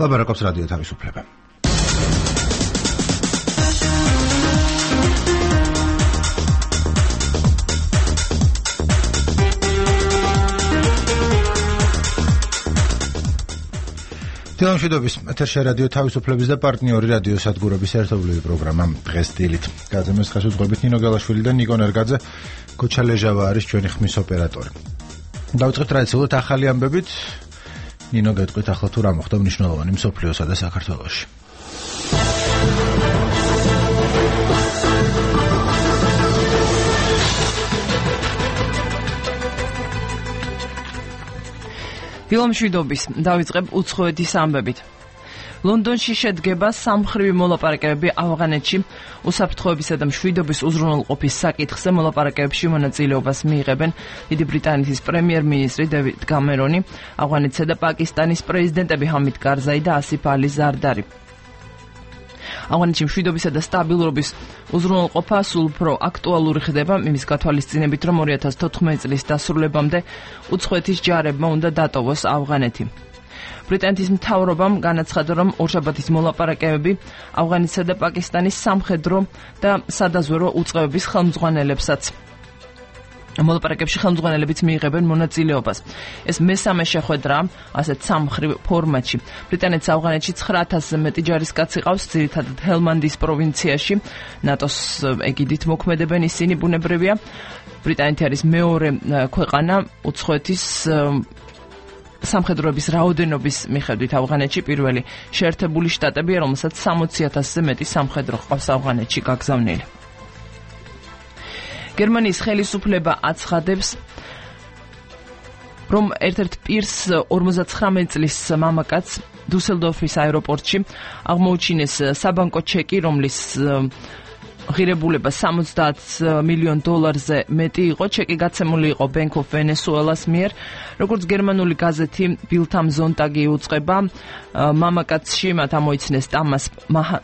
ლაბარაკობს რადიო თავისუფლება. თელმშვიდობის ეთერში რადიო თავისუფლების და პარტნიორი რადიო სადგურების ერთობლივი პროგრამა დღეს დილით. გაზომეს ხელშეუწყობით ნინო გელაშვილი და ნიკო ნერგაძე, კოჩა ლეჟავა არის ჩვენი ხმის ოპერატორი. დავიწყებთ ტრადიციულად ახალი ამბებით. ნინო, გეტყვით ახლა თუ რა მოხდა მნიშვნელოვანი მსოფლიოსა და საქართველოში. თელმშვიდობის დავიწყებ უცხოეთის ამბებით. ლონდონში შედგება სამმხრივი მოლაპარაკებები ავღანეთში უსაფრთხოებისა და მშვიდობის უზრუნველყოფის საკითხზე. მოლაპარაკებებში მონაწილეობას მიიღებენ დიდი ბრიტანეთის პრემიერ-მინისტრი დევიდ კამერონი, ავღანეთსა და პაკისტანის პრეზიდენტები ჰამიდ კარზაი და ასიფ ალი ზარდარი. ავღანეთში მშვიდობისა და სტაბილურობის უზრუნველყოფა სულ უფრო აქტუალური ხდება იმის გათვალისწინებით, რომ 2014 წლის დასრულებამდე უცხოეთის ჯარებმა უნდა დატოვოს ავღანეთი. ბრიტანეთის მთავრობამ განაცხადა, რომ ორშაბათის მოლაპარაკებები ავღანეთსა და პაკისტანის სამხედრო და სადაზვერვო უწყებების ხელმძღვანელებსაც მოლაპარაკებებში ხელმძღვანელებიც მიიღებენ მონაწილეობას. ეს მესამე შეხვედრა ასეთ სამმხრივ ფორმატში. ბრიტანეთს ავღანეთში 9000-ზე მეტი ჯარისკაცი ყავს, ძირითადად ჰელმანდის პროვინციაში. ნატოს ეგიდით მოქმედებენ ისინი, ბუნებრივია. ბრიტანეთი არის მეორე ქვეყანა უცხოეთის სამხედროების რაოდენობის მიხედვით ავღანეთში. პირველი შეერთებული შტატებია, რომელსაც 60,000-ზე მეტი სამხედრო ყავს ავღანეთში გაგზავნილი. გერმანიის ხელისუფლება აცხადებს, რომ ერთ-ერთ პირს 59 წლის მამაკაცს დუსელდორფის აეროპორტში აღმოუჩინეს საბანკო ჩეკი, რომლის ღირებულება $70 მილიონ მეტი იყო. ჩეკი გაცემული იყო Bank of Venezuela's მიერ. როგორც გერმანული გაზეთი Bild am Sonntag იუწყება, მამაკაცში მათ ამოიცნეს ტამას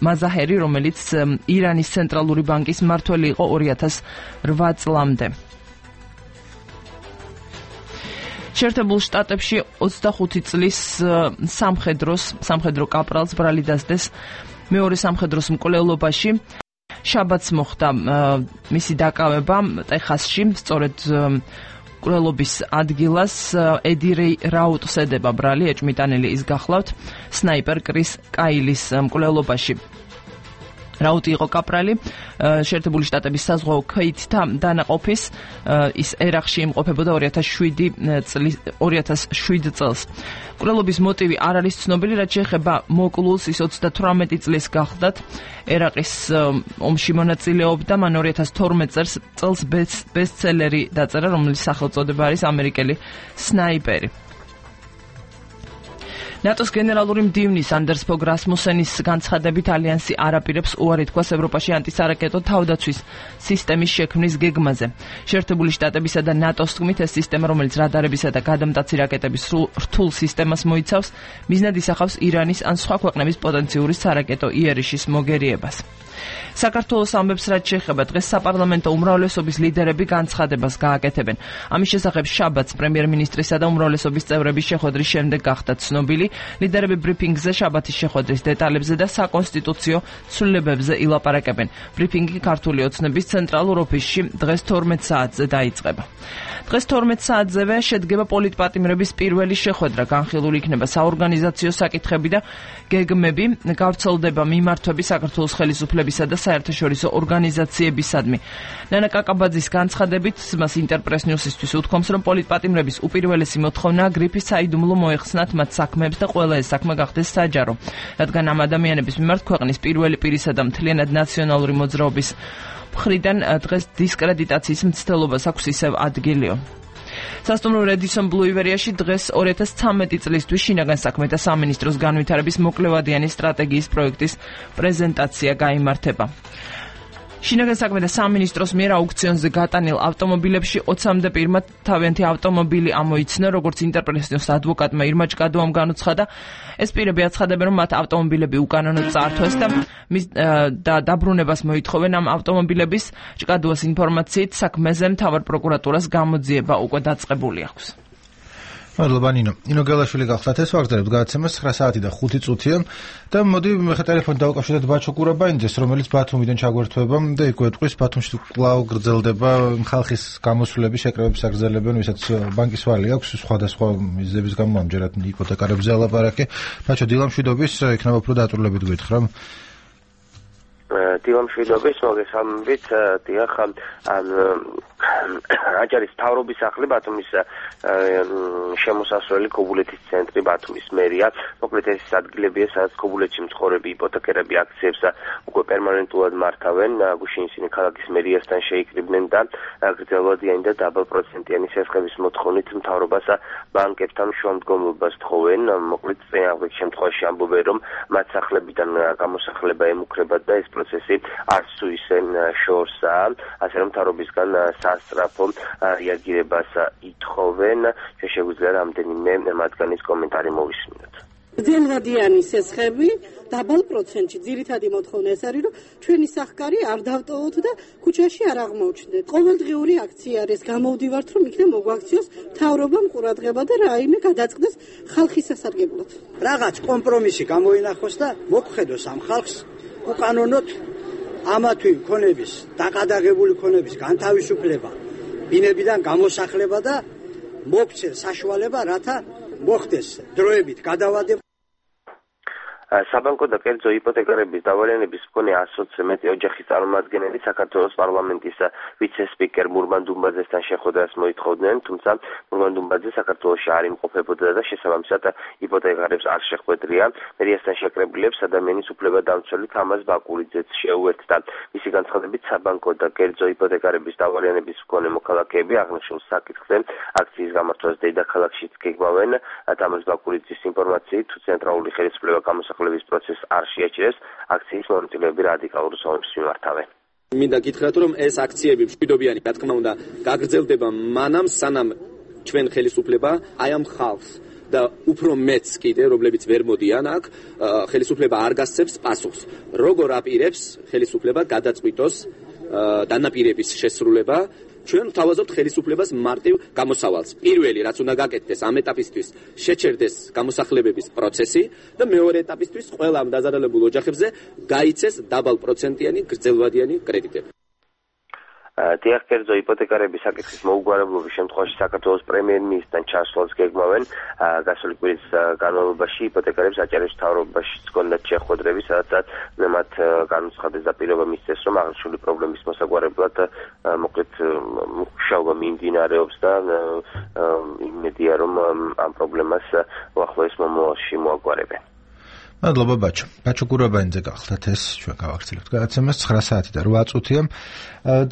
მაზაჰერი, რომელიც ირანის ცენტრალური ბანკის მმართველი იყო 2008 წლამდე. შეერთებულ შტატებში 25 წლის სამხედრო კაპრალს ბრალი დასდეს მეორე სამხედროს მკვლელობაში. შაბათს მოხდა მისი დაკავება ტეხასში, სწორედ მკვლელობის ადგილას ედი რაუტს ედება ბრალი, ეჭმიტანილი ის გახლავთ სნაიპერ კრის კაილის მკვლელობაში. რაუტი იყო კაპრალი შეერთებული შტატების საზღვაო ქეითთა დანაყოფის, ის ერაყში იმყოფებოდა 2007 წელს. მკვლელობის მოტივი არ არის ცნობილი, რაც შეეხება მოკლულს, ის 38 წლის გახლდათ ერაყის ომში მონაწილეობდა. მან 2012 წელს ბესტსელერი დაწერა, რომლის სახელწოდება არის ამერიკელი სნაიპერი. ნატოს გენერალური მდივნის ანდერს ფოგ რასმუსენის განცხადებით, ალიანსი არ აპირებს უარი თქვას ევროპაში ანტისარაკეტო თავდაცვის სისტემის შექმნის გეგმაზე. შეერთებული შტატებისა და ნატოს თქმით, ეს სისტემა, რომელიც რადარებისა და გადამტაცი რაკეტების რთულ სისტემას მოიცავს, მიზნად ისახავს ირანის ან სხვა ქვეყნების პოტენციური სარაკეტო იერიშის მოგერიებას. საქართველოს ამბებს, რაც შეეხება დღეს საპარლამენტო უმრავლესობის ლიდერები განცხადებას გააკეთებენ. ამის შესახებ შაბათს პრემიერ-მინისტრისა და უმრავლესობის წევრების შეხვედრის შემდეგ გახდა ცნობილი. ლიდერები ბრიფინგზე შაბათის შეხვედრის დეტალებზე და საკონსტიტუციო ცვლილებებზე ილაპარაკებენ. ბრიფინგი ქართული ოცნების ცენტრალურ ოფისში დღეს 12 საათზე დაიწყება. დღეს 12 საათზევე შედგება პოლიტპატიმრების პირველი შეხვედრა. განხილული იქნება საორგანიზაციო საკითხები და გეგმები, გავრცელდება მიმართვები საქართველოს ხელისუფლებისა და საერთაშორისო ორგანიზაციებისადმი. ნანა კაკაბაძის განცხადებით, მას ინტერპრეს ნიუსისთვის უთქვამს, რომ პოლიტპატიმრების უპირველესი მოთხოვნაა გრიფის საიდუმლო მოეხსნათ მათ საქმეებს და ყველა ეს საქმე გახდეს საჯარო, რადგან ამ ადამიანების მიმართ ქვეყნის პირველი პირისა და მთლიანად ნაციონალური მოძრაობის მხრიდან დღეს დისკრედიტაციის მცდელობას აქვს ისევ ადგილიო. სასტუმრო Redison Blue Iberia-ში დღეს 2013 წლისთვის შინაგან საქმეთა სამინისტროს განვითარების მოკლევადიანი სტრატეგიის პროექტის პრეზენტაცია გაიმართება. შინაგან საქმეთა სამინისტროს მიერ აუქციონზე გატანილ ავტომობილებში 20-მდე პირმა თავიანთი ავტომობილი ამოიცნა, როგორც ინტერპრესის ადვოკატმა ირმა ჭკადუამ განუცხადა. ეს პირები აცხადებენ, რომ მათ ავტომობილები უკანონოდ წაართვეს და დაბრუნებას მოითხოვენ ამ ავტომობილების. ჭკადუას ინფორმაციით, საქმეზე მთავარ პროკურატურას გამოძიება უკვე დაწყებული აქვს. მადლობა ნინო. ნინო გელაშვილი გახლდათ ეს ვაგრძელებთ გადაცემას 9 საათი და 5 წუთია და მოდი მე ტელეფონით დავუკავშირდეთ ბაჩო კურაბაინძეს, რომელიც ბათუმიდან ჩაგვერთვება და იქ გვეტყვის ბათუმში კვლავ გრძელდება ხალხის გამოსვლები, შეკრებების აგრძელებენ, ვისაც ბანკის ვალი აქვს სხვადასხვა მიზეზების გამო ამჯერად იპოთეკარებზე ალაპარაკე. ბაჩო დილამშვიდობის, იქნება უფრო დაწვრილებით გვითხრა. დილამშვიდობის, მოგესალმებით, დიახ, აჭარის მთავრობის სახლი ბათუმის შემოსასვლელი ქობულეთის ცენტრი ბათუმის მერია. მოკლედ ეს ადგილებია, სადაც ქობულეთში მცხოვრები იპოთეკერები აქციებს უკვე პერმანენტულად მართავენ. გუშინ ისინი ქალაქის მერიასთან შეიკრიბნენ და გრძელვადიანი და დაბალპროცენტიანი სესხების მოთხოვნით მთავრობას ბანკებთან შუამდგომლობას თხოვენ. მოკლედ წინააღმდეგ შემთხვევაში ამბობენ, რომ მათ სახლებიდან გამოსახლება ემუქრებათ და ეს პროცესი არც თუ ისე შორსაა, ასე რომ მთავრობისგან სასწრაფო რეაგირებას ითხოვენ. შეგვიძლია რამდენიმე მათგანის კომენტარი მოვისმინოთ. გრძელვადიანი სესხები დაბალ პროცენტში ძირითადი მოთხოვნა ეს არის, რომ ჩვენი სახკარი არ დავტოვოთ და ქუჩაში არ აღმოჩნდეთ. ყოველდღიური აქცია არის, გამოვდივართ, რომ იქნებ მოგვაქციოს მთავრობამ ყურადღება და რაიმე გადაწყდეს ხალხის სასარგებლოდ. რაღაც კომპრომისი გამოინახოს და მოგხედოს ამ ხალხს უკანონოდ ამათვი მქონების, დაკადაღებული მქონების განთავისუფლება, ბინებიდან გამოსახლება და მოგცეს საშუალება, რათა მოხდეს დროებით გადავადება. საბანკო და კერძო იპოთეკარების დავალიანების მქონე 120-ზე მეტი ოჯახის წარმომადგენელი საქართველოს პარლამენტის ვიცე-სპიკერ მურმან დუმბაძესთან შეხვედრას მოითხოვდნენ, თუმცა მურმან დუმბაძე საქართველოში არ იმყოფებოდა და შესაბამისად იპოთეკარებს არ შეხვედრია. მერიასთან შეკრებილებს ადამიანის უფლებადამცველი თამაზ ბაკურიძეც შეუერთდა. მისი განცხადებით, საბანკო და კერძო იპოთეკარების დავალიანების მქონე მოქალაქეები აღნიშნულ საკითხზე აქციის გამართვას დედაქალაქშიც გეგმავენ. თამაზ ბაკურიძის ინფორმაციით, თუ ცენტრალური ხელისუფლება გამოსახლების პროცესს არ შეაჩერებს, აქციის მონაწილეები რადიკალურ ზომებს მიმართავენ. მინდა გითხრათ, რომ ეს აქციები მშვიდობიანი, რა თქმა უნდა, გაგრძელდება მანამ, სანამ ჩვენ ხელისუფლება აი ამ ხალხს და უფრო მეც კიდე, რომლებიც ვერ მოდიან აქ, ხელისუფლება არ გასცემს პასუხს. როგორ აპირებს ხელისუფლება გადაწყვიტოს დანაპირების შესრულება, ჩვენ ვთავაზობთ ხელისუფლებას მარტივ გამოსავალს. პირველი, რაც უნდა გაკეთდეს ამ ეტაპისთვის, შეჩერდეს გამოსახლებების პროცესი და მეორე ეტაპისთვის ყველა ამ დაზარალებულ ოჯახებზე გაიცეს დაბალპროცენტიანი გრძელვადიანი კრედიტები. დიახ, კერძო იპოთეკარების საკითხის მოუგვარებლობის შემთხვევაში საქართველოს პრემიერ-მინისტრთან ჩასვლას გეგმავენ. გასული კვირის განმავლობაში იპოთეკარებს აჭარის მთავრობაში ჰქონდათ შეხვედრები, სადაც მათ განუცხადეს და პირობა მისცეს, რომ აღნიშნული პრობლემის მოსაგვარებლად მოკლედ მუშაობა მიმდინარეობს და იმედია, რომ ამ პრობლემას უახლოეს მომავალში მოაგვარებენ. მადლობა ბაჩო. ბაჩო კურაბაინძე გახლდათ ეს ჩვენ გავაგრძელებთ გადაცემას 9 საათი და 8 წუთია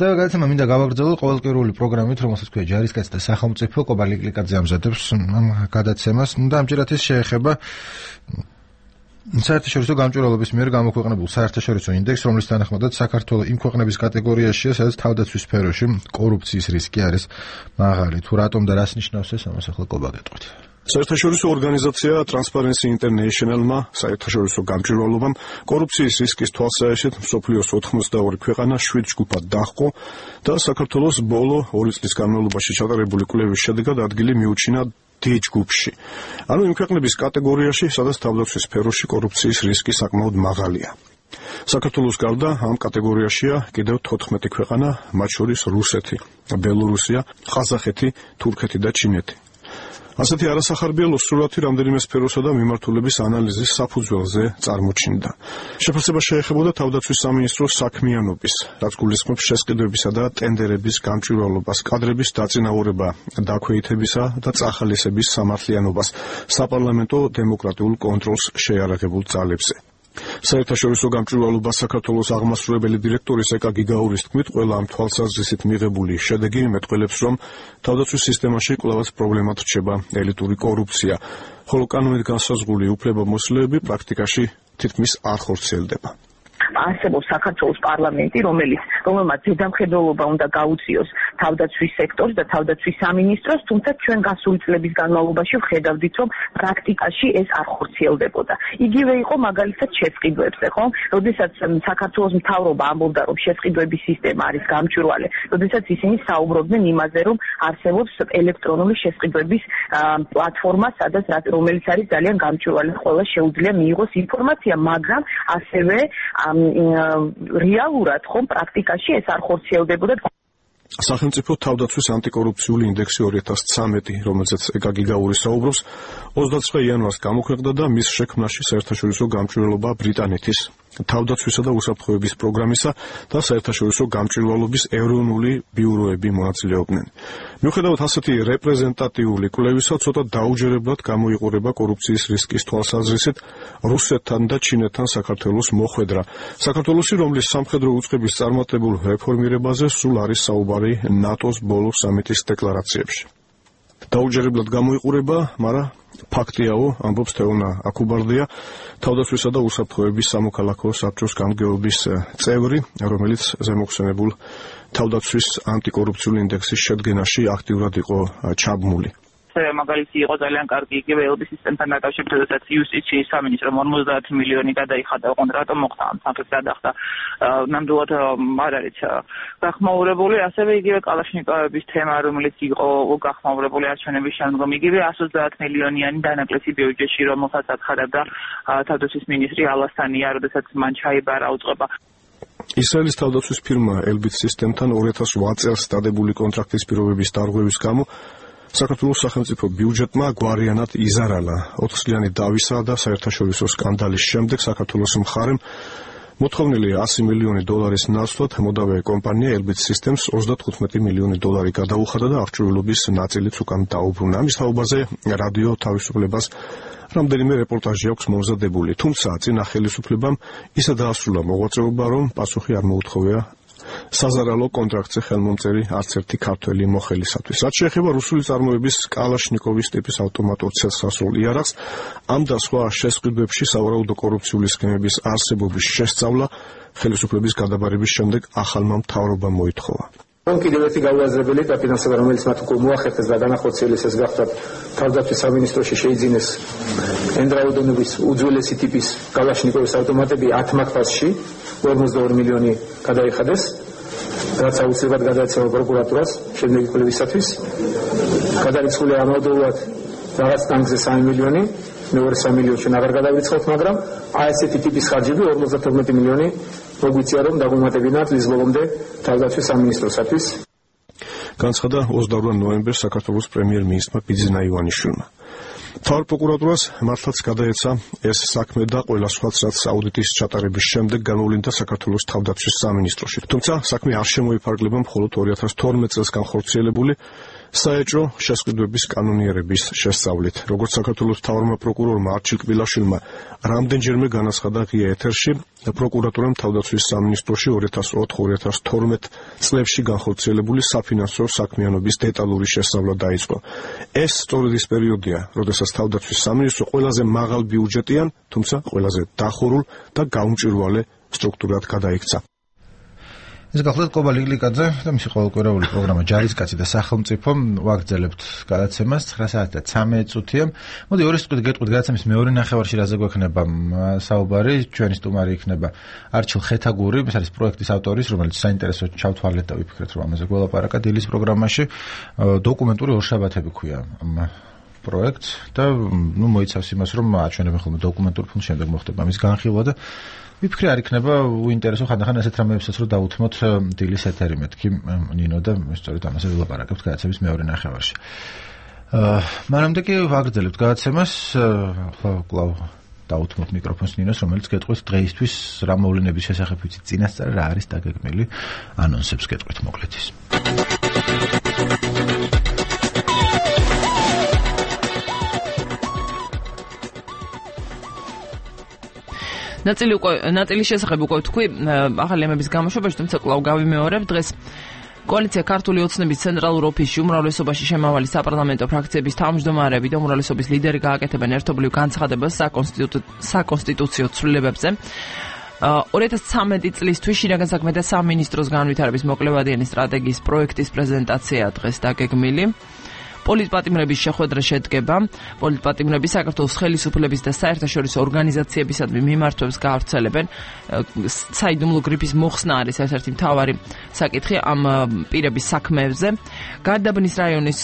და გადაცემა მინდა გავაგრძელოთ ყოველკვირეული პროგრამით, რომელსაც ქვია ჯარისკაცი და სახელმწიფო. კობა ლიკლიკაძე ამზადებს ამ გადაცემას და ამჯერად ეს შეეხება საერთაშორისო გამჭვირვალობის მიერ გამოქვეყნებულ საერთაშორისო ინდექსს, რომლის თანახმადაც საქართველო იმ ქვეყნების კატეგორიაშია, სადაც თავდაცვის სფეროში კორუფციის რისკი არის მაღალი. თუ რატომ და რას ნიშნავს ეს, ამას ახლა კობა გეტყვით. საერთაშორისო ორგანიზაცია Transparency International-მა საერთაშორისო გამჭვირვალობამ კორუფციის რისკის თვალსაჩინოდ მსოფლიოს 82 ქვეყანა 7 ჯგუფად დაჰყო და საქართველოს ბოლო 2 წლის განმავლობაში ჩატარებული კვლევის შედეგად ადგილი მიუჩინა D ჯგუფში. ანუ იმ ქვეყნების კატეგორიაში, სადაც თავდაცვის სფეროში კორუფციის რისკი საკმაოდ მაღალია. საქართველოს გარდა ამ კატეგორიაშია კიდევ 14 ქვეყანა, მათ შორის რუსეთი, ბელორუსია, ყაზახეთი, თურქეთი და ჩინეთი. ასეთი არასახარბიელო სურათი რამდენიმე სფეროსა და მიმართულების ანალიზის საფუძველზე წარმოჩინდა. შეფასება შეეხებოდა თავდაცვის სამინისტროს საქმიანობის, რაც გულისხმობს შესყიდვებისა და ტენდერების გამჭვირვალობას, კადრების დაწინაურება, დაქვეითებისა და წახალისების სამართლიანობას, საპარლამენტო დემოკრატიულ კონტროლს შეიარაღებულ ძალებზე. საერთაშორისო გამჭვირვალობა საქართველოს აღმასრულებელი დირექტორის ეკა გიგაურის თქმით, ყველა ამ თვალსაზრისით მიღებული შედეგი მეტყველებს, რომ თავდაცვის სისტემაში კვლავაც პრობლემად რჩება ელიტური კორუფცია, ხოლო კანონით განსაზღვრული უფლებამოსილეები პრაქტიკაში თითქმის არ ხორციელდება. არსებობს საქართველოს პარლამენტი, რომელმაც ზედამხედველობა უნდა გაუწიოს თავდაცვის სექტორს და თავდაცვის სამინისტროს, თუმცა ჩვენ გასული წლების განმავლობაში ვხედავდით, რომ პრაქტიკაში ეს არ ხორციელდებოდა. იგივე იყო მაგალითად შესყიდვებზე, ხო? როდესაც საქართველოს მთავრობა ამბობდა, რომ შესყიდვების სისტემა არის გამჭვირვალე, როდესაც ისინი საუბრობდნენ იმაზე, რომ არსებობს ელექტრონული შესყიდვების პლატფორმა, სადაც რომელიც არის ძალიან გამჭვირვალე, ყველა შეუძლია მიიღოს ინფორმაცია, მაგრამ ასევე რეალურად ხომ პრაქტიკაში ეს არ ხორციელდებოდა. სახელმწიფო თავდაცვის ანტიკორუფციული ინდექსი 2013, რომელზეც ეკაგი გაური საუბრობს, 29 იანვარს გამოქვეყნდა და მის შექმნაში საერთაშორისო გამჭვირვალობა ბრიტანეთის თავდაცვისა და უსაფრთხოების პროგრამისა და საერთაშორისო გამჭვირვალობის ეროვნული ბიუროები მონაწილეობდნენ. მიუხედავად ასეთი რეპრეზენტატიული კვლევისა, ცოტა დაუჯერებლად გამოიყურება კორუფციის რისკის თვალსაზრისით რუსეთთან და ჩინეთთან საქართველოს მოხვედრა. საქართველოსი, რომლის სამხედრო უწყების წარმატებულ რეფორმირებაზე სულ არის საუბარი ნატოს ბოლო სამიტის დეკლარაციებში. დაუჯერებლად გამოიყურება, მაგრამ ფაქტიაო, ამბობს თეონა აკუბარდია, თავდაცვისა და უსაფრთხოების სამოქალაქო საბჭოს გამგეობის წევრი, რომელიც ზემოხსენებულ თავდაცვის ანტიკორუფციული ინდექსის შედგენაში აქტიურად იყო ჩაბმული. მაგალითი იყო ძალიან კარგი იგივე ელბის სისტემთან დაკავშირებით, როდესაც იუსტიციის სამინისტრომ 50 მილიონი გადაიხადა, ოღონდ რატომ მოხდა ამ სამხედრო გადახდა. ნამდვილად არ არის გახმაურებული, ასევე იგივე კალაშნიკოვების თემა, რომელიც იყო გახმაურებული არჩევნების შემდგომ, იგივე 130 მილიონიანი დანაკლისი ბიუჯეტში, რომელსაც აცხადებდა თავდაცვის მინისტრი ალასთანია, როდესაც მან ჩაიბარა უწყება. ისრაელის თავდაცვის ფირმა ელბის სისტემთან 2008 წელს დადებული კონტრაქტის პირობების დარღვევის გამო საქართველოს სახელმწიფო ბიუჯეტმა გვარიანად იზარალა. 4 წლიანი დავისა და საერთაშორისო სკანდალის შემდეგ საქართველოს მხარემ მოთხოვნილი 100 მილიონი დოლარის ნაცვლად მოდავე კომპანია ელბის სისტემს 35 მილიონი დოლარი გადაუხადა და აღჭურვილობის ნაწილიც უკან დაუბრუნა. ამის თაობაზე რადიო თავისუფლებას რამდენიმე რეპორტაჟი აქვს მომზადებული, თუმცა წინა ხელისუფლებამ ისე დაასრულა მოღვაწეობა, რომ პასუხი არ მოუთხოვია საზარალო კონტრაქტზე ხელმომწერი არც ერთი ქართველი მოხელისათვის. რაც შეეხება რუსული წარმოების კალაშნიკოვის ტიპის ავტომატურ ცეცხლსასროლ იარაღს, ამ და სხვა შესყიდვებში სავარაუდო კორუფციული სქემების არსებობის შესწავლა ხელისუფლების გადაბარების შემდეგ ახალმა მთავრობამ მოითხოვა. კიდევ ერთი გაუაზრებელი დაფინანსება, რომელიც მათ უკვე მოახერხეს და განახორციელეს, ეს გახლავთ თავდაცვის სამინისტროში შეიძინეს ენდრაუდონების უძველესი ტიპის კალაშნიკოვის ავტომატები 10 მართლში 42 მილიონი გადაიხადეს, რაც აუცილებლად გადაეცემა პროკურატურას შემდეგი კვლევისათვის. გადარიცხულია ამავდროულად რაღაც ტანკზე 3 მილიონი, მეორე 3 მილიონი ჩვენ აღარ გადავირიცხავთ, მაგრამ ესეთი ტიპის ხარჯები 52 მილიონი მოგვიწია, რომ დაგვემატებინათ წლის ბოლომდე თავდაცვის სამინისტროსათვის. განცხადა 28 ნოემბერს საქართველოს პრემიერ-მინისტრმა ბიძინა ივანიშვილმა. მთავარ პროკურატურას მართლაც გადაეცა ეს საქმე და ყველა სხვაც, რაც აუდიტის ჩატარების შემდეგ გამოვლინდა საქართველოს თავდაცვის სამინისტროში. თუმცა საქმე არ შემოიფარგლება მხოლოდ 2012 წელს განხორციელებული საეჭვო შესყიდვების კანონიერების შესწავლით. როგორც საქართველოს მთავარმა პროკურორმა არჩილ კბილაშვილმა რამდენჯერმე განაცხადა ღია ეთერში, პროკურატურამ თავდაცვის სამინისტროში 2004-2012 წლებში განხორციელებული საფინანსო საქმიანობის დეტალური შესწავლა დაიწყო. ეს სწორედ ის პერიოდია, როდესაც თავდაცვის სამინისტრო ყველაზე მაღალ ბიუჯეტიან, თუმცა ყველაზე დახურულ და გაუმჭვირვალე სტრუქტურად გადაიქცა. ეს გახლავთ ყობა ლიგლიკაძე და მისი ყოველკვირეული პროგრამა ჯარისკაცი და სახელმწიფო. ვაგრძელებთ გადაცემას 9 საათი და 13 წუთია. მოდი ორი სტუდიით გეტყვით გადაცემის მეორე ნახევარში რაზე გვექნება საუბარი. ჩვენი სტუმარი იქნება არჩილ ხეთაგური, ეს არის პროექტის ავტორის, რომელიც საინტერესო ჩავთვალეთ და ვიფიქრეთ, რომ ამაზე გველაპარაკა დილის პროგრამაში. დოკუმენტური ორშაბათები ქვია ამ პროექტს და მოიცავს იმას, რომ აჩვენებენ ხოლმე დოკუმენტურ ფილმს, შემდეგ მოხდება ამის განხილვა და ვიფიქრე არ იქნება უინტერესო ხანდახან ესეთ რამეებსაც რომ დავუთმოთ დილის ეთერი მეთქი ნინო და სწორედ ამაზე ვილაპარაკებთ გადაცემის მეორე ნახევარში. მანამდე კი ვაგრძელებთ გადაცემას, კვლავ დავუთმოთ მიკროფონს ნინოს, რომელიც გეტყვით დღეისთვის რა მოვლენების შესახებ ვიცით წინასწარ, რა არის დაგეგმილი ანონსებს გეტყვით მოკლედ ის. ნაწილის შესახებ უკვე თქვი ახალი ამების გამოშვებაში, თუმცა კვლავ გავიმეორებ დღეს კოალიცია ქართული ოცნების ცენტრალურ ოფისში უმრავლესობაში შემავალი საპარლამენტო ფრაქციების თავმჯდომარეები და უმრავლესობის ლიდერი გააკეთებენ ერთობლივ განცხადებას საკონსტიტუციო ცვლილებებზე. 2013 წლისთვის შინაგან საქმეთა სამინისტროს განვითარების მოკლევადიანი სტრატეგიის პროექტის პრეზენტაცია დღეს დაგეგმილი. პოლიტპატიმრების შეხვედრა შედგება. პოლიტპატიმრები საქართველოს ხელისუფლების და საერთაშორისო ორგანიზაციებისადმი მიმართვებს გაავრცელებენ. საიდუმლო გრიფის მოხსნა არის ერთ-ერთი მთავარი საკითხი ამ პირების საქმეებზე. გარდაბნის რაიონის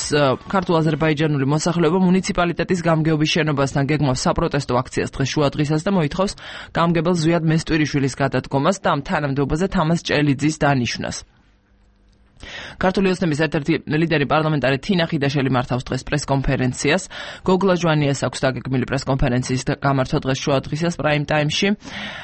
ქართულ-აზერბაიჯანული მოსახლეობა მუნიციპალიტეტის გამგეობის შენობასთან გეგმავს საპროტესტო აქციას დღეს შუადღისას და მოითხოვს გამგებელ ზვიად მესტვირიშვილის გადადგომას და ამ თანამდებობაზე თამაზ ჭელიძის დანიშვნას. ქართული ოცნების ერთ-ერთი ლიდერი პარლამენტარი თინა ხიდაშელი მართავს დღეს პრესკონფერენციას. გოგლა ჟვანიას აქვს დაგეგმილი პრესკონფერენციის გამართვა დღეს შუადღისას პრაიმ ტაიმში.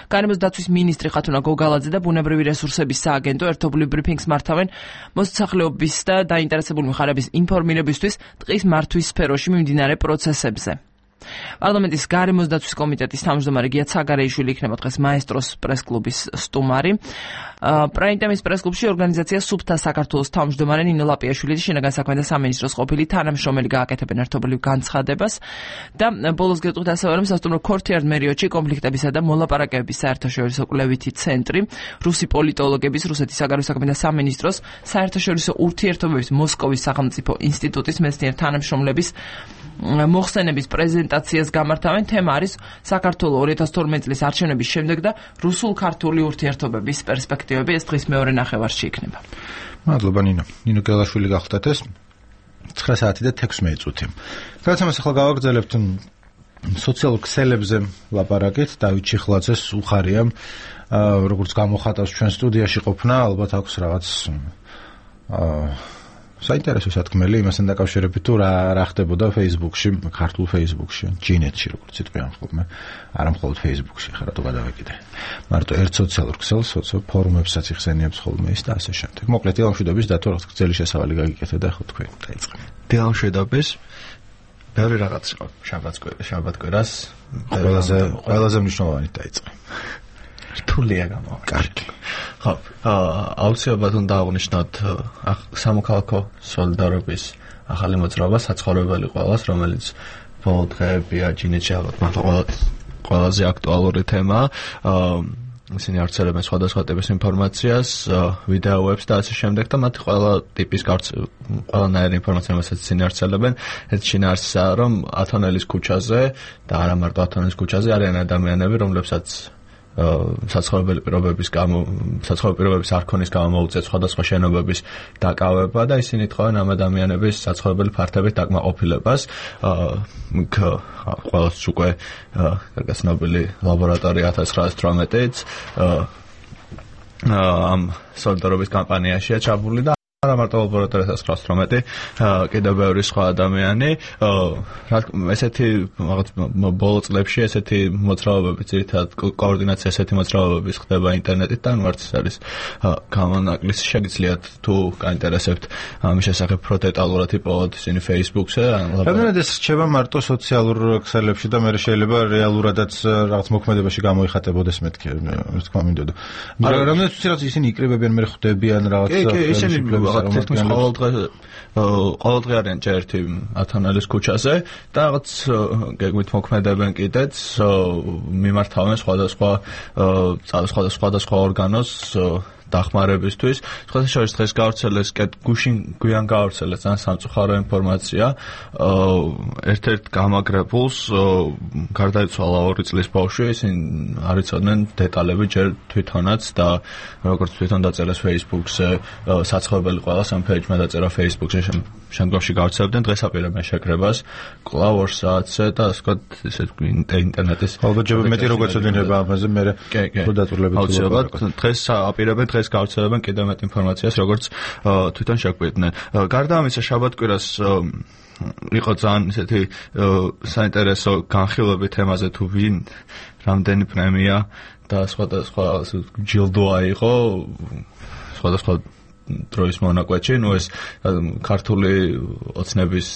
გარემოს დაცვის მინისტრი ხათუნა გოგალაძე და ბუნებრივი რესურსების სააგენტო ერთობლივ ბრიფინგს მართავენ მოსახლეობის და დაინტერესებული მხარეების ინფორმირებისთვის ტყის მართვის სფეროში მიმდინარე პროცესებზე. პარლამენტის გარემოს დაცვის კომიტეტის თავმჯდომარე გია ცაგარეიშვილი იქნება დღეს მაესტროს პრესკლუბის სტუმარი. პრაიმ-ტაიმის პრესკლუბში ორგანიზაცია სუფთა საქართველოს თავმჯდომარე ნინო ლაპიაშვილი და შინაგან საქმეთა სამინისტროს ყოფილი თანამშრომელი გააკეთებენ ერთობლივ განცხადებას და ბოლოს გეტყვით ასევე რომ სასტუმრო ქორთიარ მერიოტში კონფლიქტებისა და მოლაპარაკებების საერთაშორისო კვლევითი ცენტრი, რუსი პოლიტოლოგების, რუსეთის საგარეო საქმეთა სამინისტროს, საერთაშორისო ურთიერთობების მოსკოვის სახელმწიფო ინსტიტუტის მეცნიერ თანამშრომლების მოხსენების პრეზენტაციას გამართავენ. თემა არის საქართველოს 2012 წლის არჩევნების შემდეგ და რუსულ-ქართული ურთიერთობების პერსპექტივები. ეს დღის მეორე ნახევარში იქნება. მადლობა ნინო. ნინო გელაშვილი გახლდათ ეს 9 საათი და 16 წუთი. გადაცემას ახლა გავაგრძელებთ სოციალურ ქსელებზე ლაპარაკით. დავით ჩიხლაძეს უხარია როგორც გამოხატავს ჩვენ სტუდიაში ყოფნა, ალბათ აქვს რაღაც საინტერესო სათქმელი იმასთან დაკავშირებით თუ რა ხდებოდა Facebook-ში, ქართულ Facebook-ში, ჯინეთში როგორც იტყვიან ხოლმე, არა მხოლოდ Facebook-ში, ხა რატო გადავეკიდე. მარტო ერთ სოციალურ ქსელს, ფორუმებსაც იხსენიებს ხოლმე ის და ასე შემდეგ. მოკლედ დილამშვიდობის დათო რაღაც გრძელი შესავალი გაგიკეთე და ხო თქვენ დაიწყე. დილამშვიდობის ბევრი რაღაც შაბათ-კვირას ყველაზე მნიშვნელოვანი დაიწყე. რთულია გამოვიდა. კარგი. ხო, აუცილებლად უნდა აღვნიშნოთ სამოქალაქო სოლიდარობის ახალი მოძრაობა საცხოვრებელი ყველას, რომელიც ბოლო დღეებია ჯინეთში ალბათ ყველაზე აქტუალური თემა. ისინი ავრცელებენ სხვადასხვა ტიპის ინფორმაციას, ვიდეოებს და ასე შემდეგ და მათ ყველა ტიპის ყველანაირი ინფორმაცია, რომელსაც ისინი ავრცელებენ, ეს შინაარსია, რომ ათონელის ქუჩაზე და არა მარტო ათონელის ქუჩაზე არიან ადამიანები, რომლებსაც საცხოვრებელი პირობების არქონის გამო მოუწიათ სხვადასხვა შენობების დაკავება და ისინი თხოვენ ამ ადამიანების საცხოვრებელი ფართებით დაკმაყოფილებას. ყველას უკვე გასნობილი ლაბორატორია 1918-იც ამ სოლიდარობის კამპანიაშია ჩაბურული და არა მარტო ლაბორატორია 1918, კიდევ ბევრი სხვა ადამიანი. ესეთი რაღაც ბოლო წლებში ესეთი მოძრაობები, ძირითადად კოორდინაცია ესეთი მოძრაობების ხდება ინტერნეტით და არც არის გამონაკლისი. შეგიძლიათ თუ გაინტერესებთ ამის შესახებ უფრო დეტალურად იპოვოთ ისინი Facebook-ზე. რამდენად ეს რჩება მარტო სოციალურ ქსელებში და მე შეიძლება რეალურადაც რაღაც მოქმედებაში გამოიხატებოდეს მეთქე, თქმა მინდოდა. რამდენად ცირაც ისინი იკრიბებიან, მე ხვდებიან რაღაც ისინი თითქმის ყოველ დღე არიან ერთი ათონელის ქუჩაზე და რაღაც გეგმით მოქმედებენ კიდეც, მიმართავენ სხვადასხვა ორგანოს დახმარებისთვის. სხვადასხვა დღეს გავრცელეს გვიან გავრცელეს ძალიან სამწუხარო ინფორმაცია. ერთ-ერთ გამაგრებულს გარდაიცვალა 2 წლის ბავშვი, ისინი არ იცოდნენ დეტალები ჯერ თვითონაც და როგორც თვითონ დაწერეს Facebook-ზე, საცხოვრებელი ყველას ამ ფეიჯმა დაწერა Facebook-ზე, შემდგომში გავრცელებდნენ, დღეს აპირებენ შეკრებას კვლავ 2 საათზე და ასე ვთქვათ, ისეთ ინტერნეტის ალბათ მეტი როგორც ეძინება ამაზე მე თუ დაწურლებით აუცილებლად დღეს აპირებენ დღეს გავრცელებენ კიდევ მეტ ინფორმაციას, როგორც თვითონ შეგვიდნენ. გარდა ამისა, შაბათ-კვირას იყო ძალიან ისეთი საინტერესო განხილვები თემაზე თუ ვინ რამდენი პრემია და სხვადასხვა ჯილდო აიღო სხვადასხვა დროის მონაკვეთში, ეს ქართული ოცნების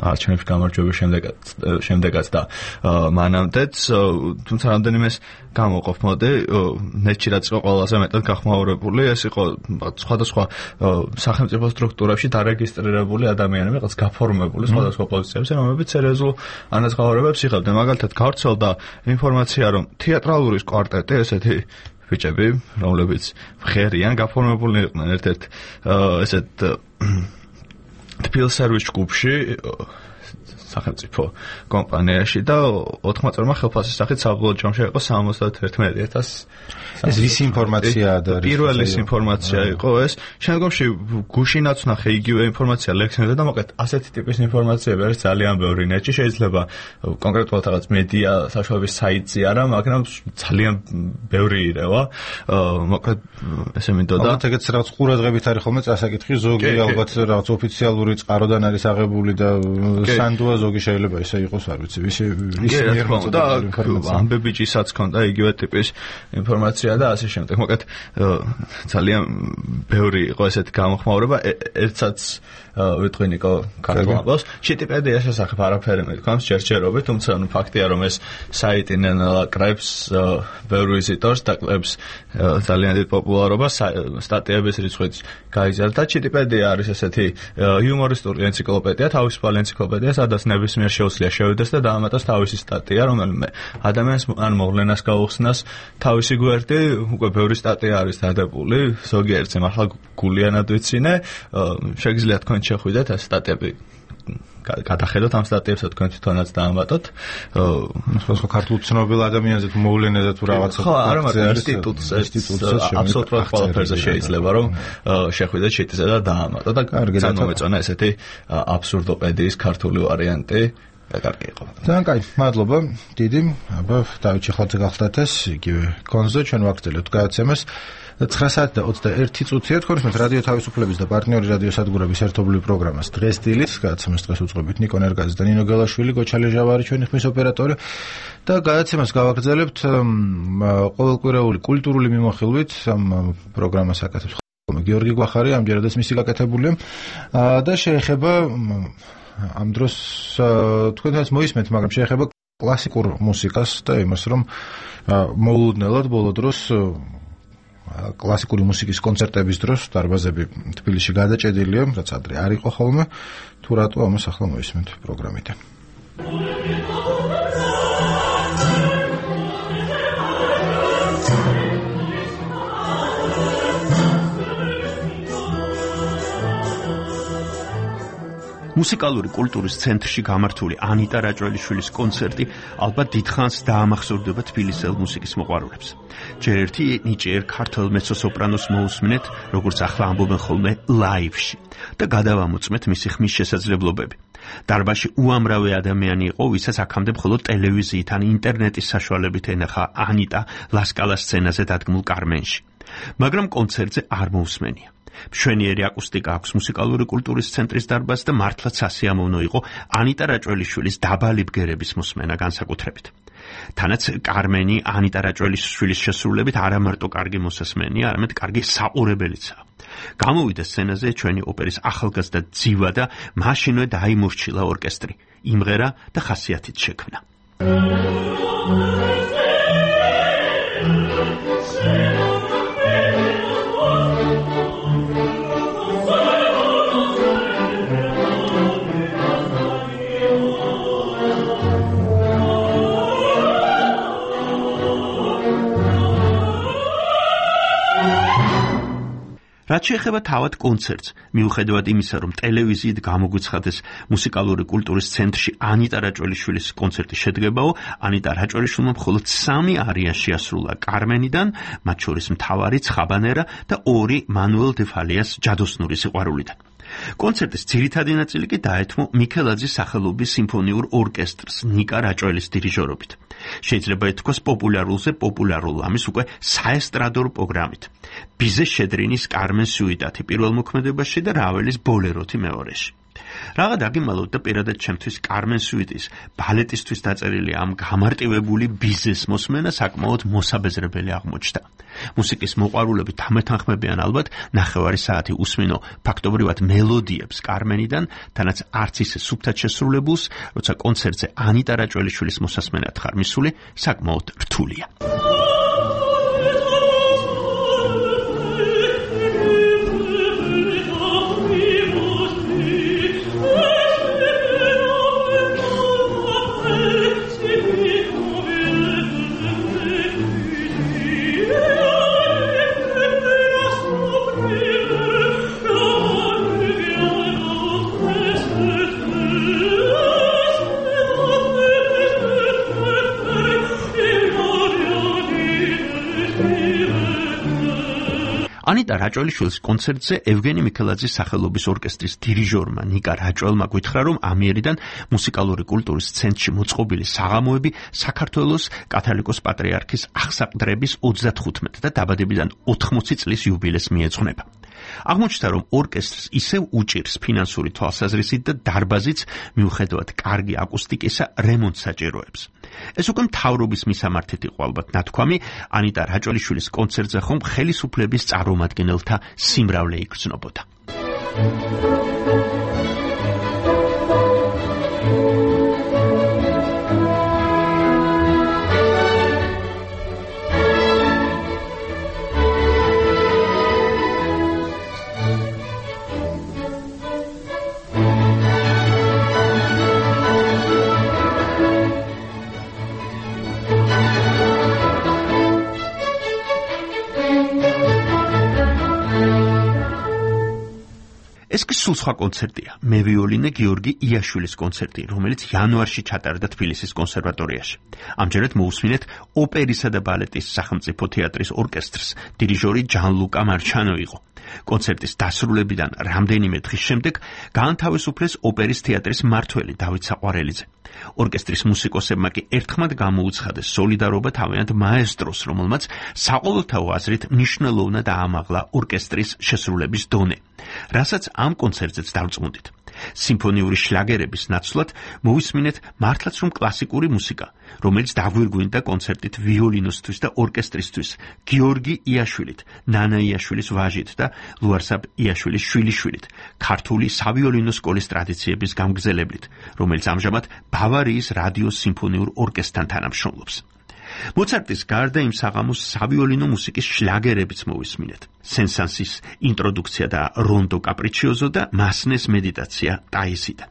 არჩევნების გამარჯვების შემდეგაც და მანამდეც, თუმცა რამდენიმეს გამოყოფ მოდი, ნეტში რაც იყო ყველაზე მეტად გახმაურებული, ეს იყო სხვადასხვა სახელმწიფო სტრუქტურებში დარეგისტრირებული ადამიანები, რაღაც გაფორმებული სხვადასხვა პოზიციებზე, რომლებიც სერიოზულ ანაზღაურებებს იღებდნენ. მაგალითად, გავრცელდა ინფორმაცია, რომ თეატრალური კვარტეტი, ესეთი ბიჭები, რომლებიც ღერიან, გაფორმებული იყვნენ ერთ-ერთ ესეთ თბილსერვის ჯგუფში, სახელმწიფო კომპანიაში და 80 წელმა ხელფასის სახით საბოლოო ჯამში იყო 71,000. ეს ვის ინფორმაციაა და პირველი ინფორმაცია იყო ეს. შემდგომში გუშინაც ნახე იგივე ინფორმაცია ლექსინზე და მოკლედ ასეთი ტიპის ინფორმაციები არის ძალიან ბევრი ნეტში. შეიძლება კონკრეტულად რაღაც მედია საშუალების საიტზე არა, მაგრამ ძალიან ბევრი ირევა. მოკლედ ესე მინდოდა. ალბათ ეგეც რაღაც ყურადღებით არის ხოლმე წასაკითხი, ზოგი ალბათ რაღაც ოფიციალური წყაროდან არის აღებული და სანდუა ზოგი შეიძლება ისე იყოს, არ ვიცი, ვის მიერ მოწოდებული ინფორმაცია. ამბებიჭისაც ქონდა იგივე ტიპის ინფორმაცია და ასე შემდეგ. მოკლედ ძალიან ბევრი იყო ესეთი გამოხმაურება, ერთსაც ვიტყვი ნიკო ქართულს. შეტიპედია შესახებ არაფერი მეთქვამს ჯერჯერობით, თუმცა ფაქტია რომ ეს საიტი ნაკრებს ბევრ ვიზიტორს და კლებს ძალიან დიდ პოპულარობას, სტატიების რიცხვიც გაიზარდა. შეტიპედია არის ესეთი იუმორისტული ენციკლოპედია, თავისუფალი ენციკლოპედია, სადაც ნებისმიერ შეუძლია შევიდეს და დაამატოს თავისი სტატია, რომელიმე ადამიანს ან მოვლენას გაუხსნას თავისი გვერდი. უკვე ბევრი სტატია არის დადებული, ზოგიერთზე მართლა გულიანად ვიცინე, შეგიძლია თქვენ შეხვიდეთ ეს სტატიები, გადახედოთ ამ სტატიებს, თქვენ თვითონაც დაამატოთ. სხვა ქართულ ცნობილ ადამიანზე თუ მოვლენაზე თუ რაღაცა. ხო, არა, მაგრამ ინსტიტუტზე აბსოლუტურად ყველაფერზე შეიძლება რომ შეხვიდეთ შეტიზე და დაამატოთ და წარმომეწონა ესეთი აბსურდოპედიის ქართული ვარიანტი. კარგი იყო. ძალიან კაი, მადლობა. დიდი, აბა დავით ჩეხლაძე გახლდათ ეს იგივე კონზე ჩვენ ვაგრძელებთ გადაცემას. 9 საათი და 21 წუთია თქვენს მე რადიო თავისუფლების და პარტნიორი რადიო სადგურების ერთობლივ პროგრამას დღეს დილით გადაცემას დღეს უწყობთ ნიკო ნერგაძე და ნინო გელაშვილი, გოჩალე ჟავარი ჩვენი ხმის ოპერატორი და გადაცემას გავაგრძელებთ ყოველკვირეული კულტურული მიმოხილვით. ამ პროგრამას აკეთებს გიორგი გვახარი, ამჯერადაც მისი გაკეთებულია და შეეხება ამ დროს თქვენთან მოისმენთ, მაგრამ შეეხება კლასიკურ მუსიკას და იმას, რომ მოულოდნელად ბოლო დროს კლასიკური მუსიკის კონცერტების დროს დარბაზები თბილისში გადაჭედილია, რაც ადრე არ იყო ხოლმე. თუ რატო ამას ახლა მოისმენთ პროგრამიდან. მუსიკალური კულტურის ცენტრში გამართული ანიტა რაჭველიშვილის კონცერტი ალბათ დიდხანს დაამახსოვრდება თბილისელ მუსიკის მოყვარულებს. ჯერ ერთი ნიჭიერ ქართველ მეცო-სოპრანოს მოусმინეთ, როგორც ახლა ამბობენ ხოლმე ლაივში და გადავამოწმეთ მისი ხმის შესაძლებლობები. დარბაზში უამრავი ადამიანი იყო, ვისაც აქამდე მხოლოდ ტელევიზიით ან ინტერნეტის საშუალებით ენახა ანიტა ლასკალას სცენაზე დადგმულ კარმენში. მაგრამ კონცერტზე არ მოусმენია. მშვენიერი აკუსტიკა აქვს მუსიკალური კულტურის ცენტრის დარბაზს და მართლაც სასიამოვნო იყო ანიტა რაჭველიშვილის დაბალი ბგერების მოსმენა განსაკუთრებით. თანაც კარმენი ანიტა რაჭველიშვილის შესრულებით არა მარტო კარგი მოსასმენია, არამედ კარგი საყურებელიცაა. გამოვიდა სცენაზე ჩვენი ოპერის ახალგაზრდა ძივა და მაშინვე დაიმორჩილა ორკესტრი, იმღერა და ხასიათით შექმნა. რაც შეეხება თავად კონცერტს, მიუხედავად იმისა, რომ ტელევიზიით გამოგვიცხადეს მუსიკალური კულტურის ცენტრში ანიტა რაჭველიშვილის კონცერტი შედგებაო, ანიტა რაჭველიშვილმა მხოლოდ 3 არია შეასრულა კარმენიდან, მათ შორის მთავარი ცხაბანერა და 2 მანუელ დე ფალიას ჯადოსნური სიყვარულიდან. კონცერტის ძირითადი ნაწილი კი დაეთმო მიქელაძის სახელობის სიმფონიურ ორკესტრს ნიკა რაჭველის დირიჟორობით. შეიძლება ითქვას პოპულარულზე პოპულარულ, ამის უკვე საესტრადო პროგრამით. ბიზე შედრინის კარმენ სუიტათი პირველ მოქმედებაში და რაველის ბოლეროთი მეორეში. რაღა დაგიმალოთ და პირადად ჩემთვის კარმენ სუიტის ბალეტისთვის დაწერილი ამ გამარტივებული ბიზნეს მოსმენა საკმაოდ მოსაბეზრებელი აღმოჩნდა. მუსიკის მოყვარულები თამეთანხმებიან ალბათ ნახევარი საათი უსმინო ფაქტობრივად მელოდიებს კარმენიდან, თანაც არც ისე სუფთად შესრულებულს, როცა კონცერტზე ანიტა რაჭველიშვილის მოსასმენად ხარ მისული, საკმაოდ რთულია. ანიტა რაჭველიშვილის კონცერტზე ევგენი მიქელაძის სახელობის ორკესტრის დირიჟორმა ნიკა რაჭველმა გითხრა, რომ ამიერიდან მუსიკალური კულტურის ცენტრში მოწყობილი საღამოები საქართველოს კათოლიკოს პატრიარქის აღსაყდრების 35 და დაბადებიდან 80 წლის იუბილეს მიეძღვნება. აღმოჩნდა, რომ ორკესტრს ისევ უჭირს ფინანსური თვალსაზრისით და დარბაზიც მიუხედავად კარგი აკუსტიკისა რემონტს საჭიროებს. ეს უკვე მთავრობის მისამართით იყო ალბათ ნათქვამი, ანიტა რაჭველიშვილის კონცერტზე ხომ ხელისუფლების წარმომადგენელთა სიმრავლე იგრძნობოდა. ეს კი სულ სხვა კონცერტია. მე ვიოლინე გიორგი იაშვილის კონცერტი, რომელიც იანვარში ჩატარდა თბილისის კონსერვატორიაში. ამჯერად მოусმინეთ ოპერისა და ბალეტის სახელმწიფო თეატრის ორკესტრს. დირიჟორი ჯანლუკა მარჩანო იყო. კონცერტის დასრულებიდან რამდენიმე დღის შემდეგ გაანთავისუფლეს ოპერის თეატრის მმართველი დავით საყვარელიძე. ორკესტრის მუსიკოსებმა კი ერთხმად გამოუცხადეს სოლიდარობა თავიანთ მაესტროს, რომელმაც საყოველთაო აზრით მნიშვნელოვნად აამაღლა ორკესტრის შესრულების დონე, რასაც ამ კონცერტზეც დავწმუნდით. სიმფონიური შლაგერების ნაცვლად მოვისმინეთ მართლაც რომ კლასიკური მუსიკა, რომელიც დაგვირგვინდა კონცერტით ვიოლინოსთვის და ორკესტრისთვის, გიორგი იაშვილით, ნანა იაშვილის ვაჟით და ლუარსაბ იაშვილის შვილიშვილით, ქართული სავიოლინო სკოლის ტრადიციების გამგზელებლით, რომელიც ამჟამად ბავარიის რადიოს სიმფონიურ ორკესტრთან თანამშრომლობს. მოცარტის გარდა იმ საღამოს სავიოლინო მუსიკის შლაგერებიც მოვისმინეთ. სენ-სანსის ინტროდუქცია და რონდო კაპრიჩიოზო და მასნეს მედიტაცია ტაისიდან.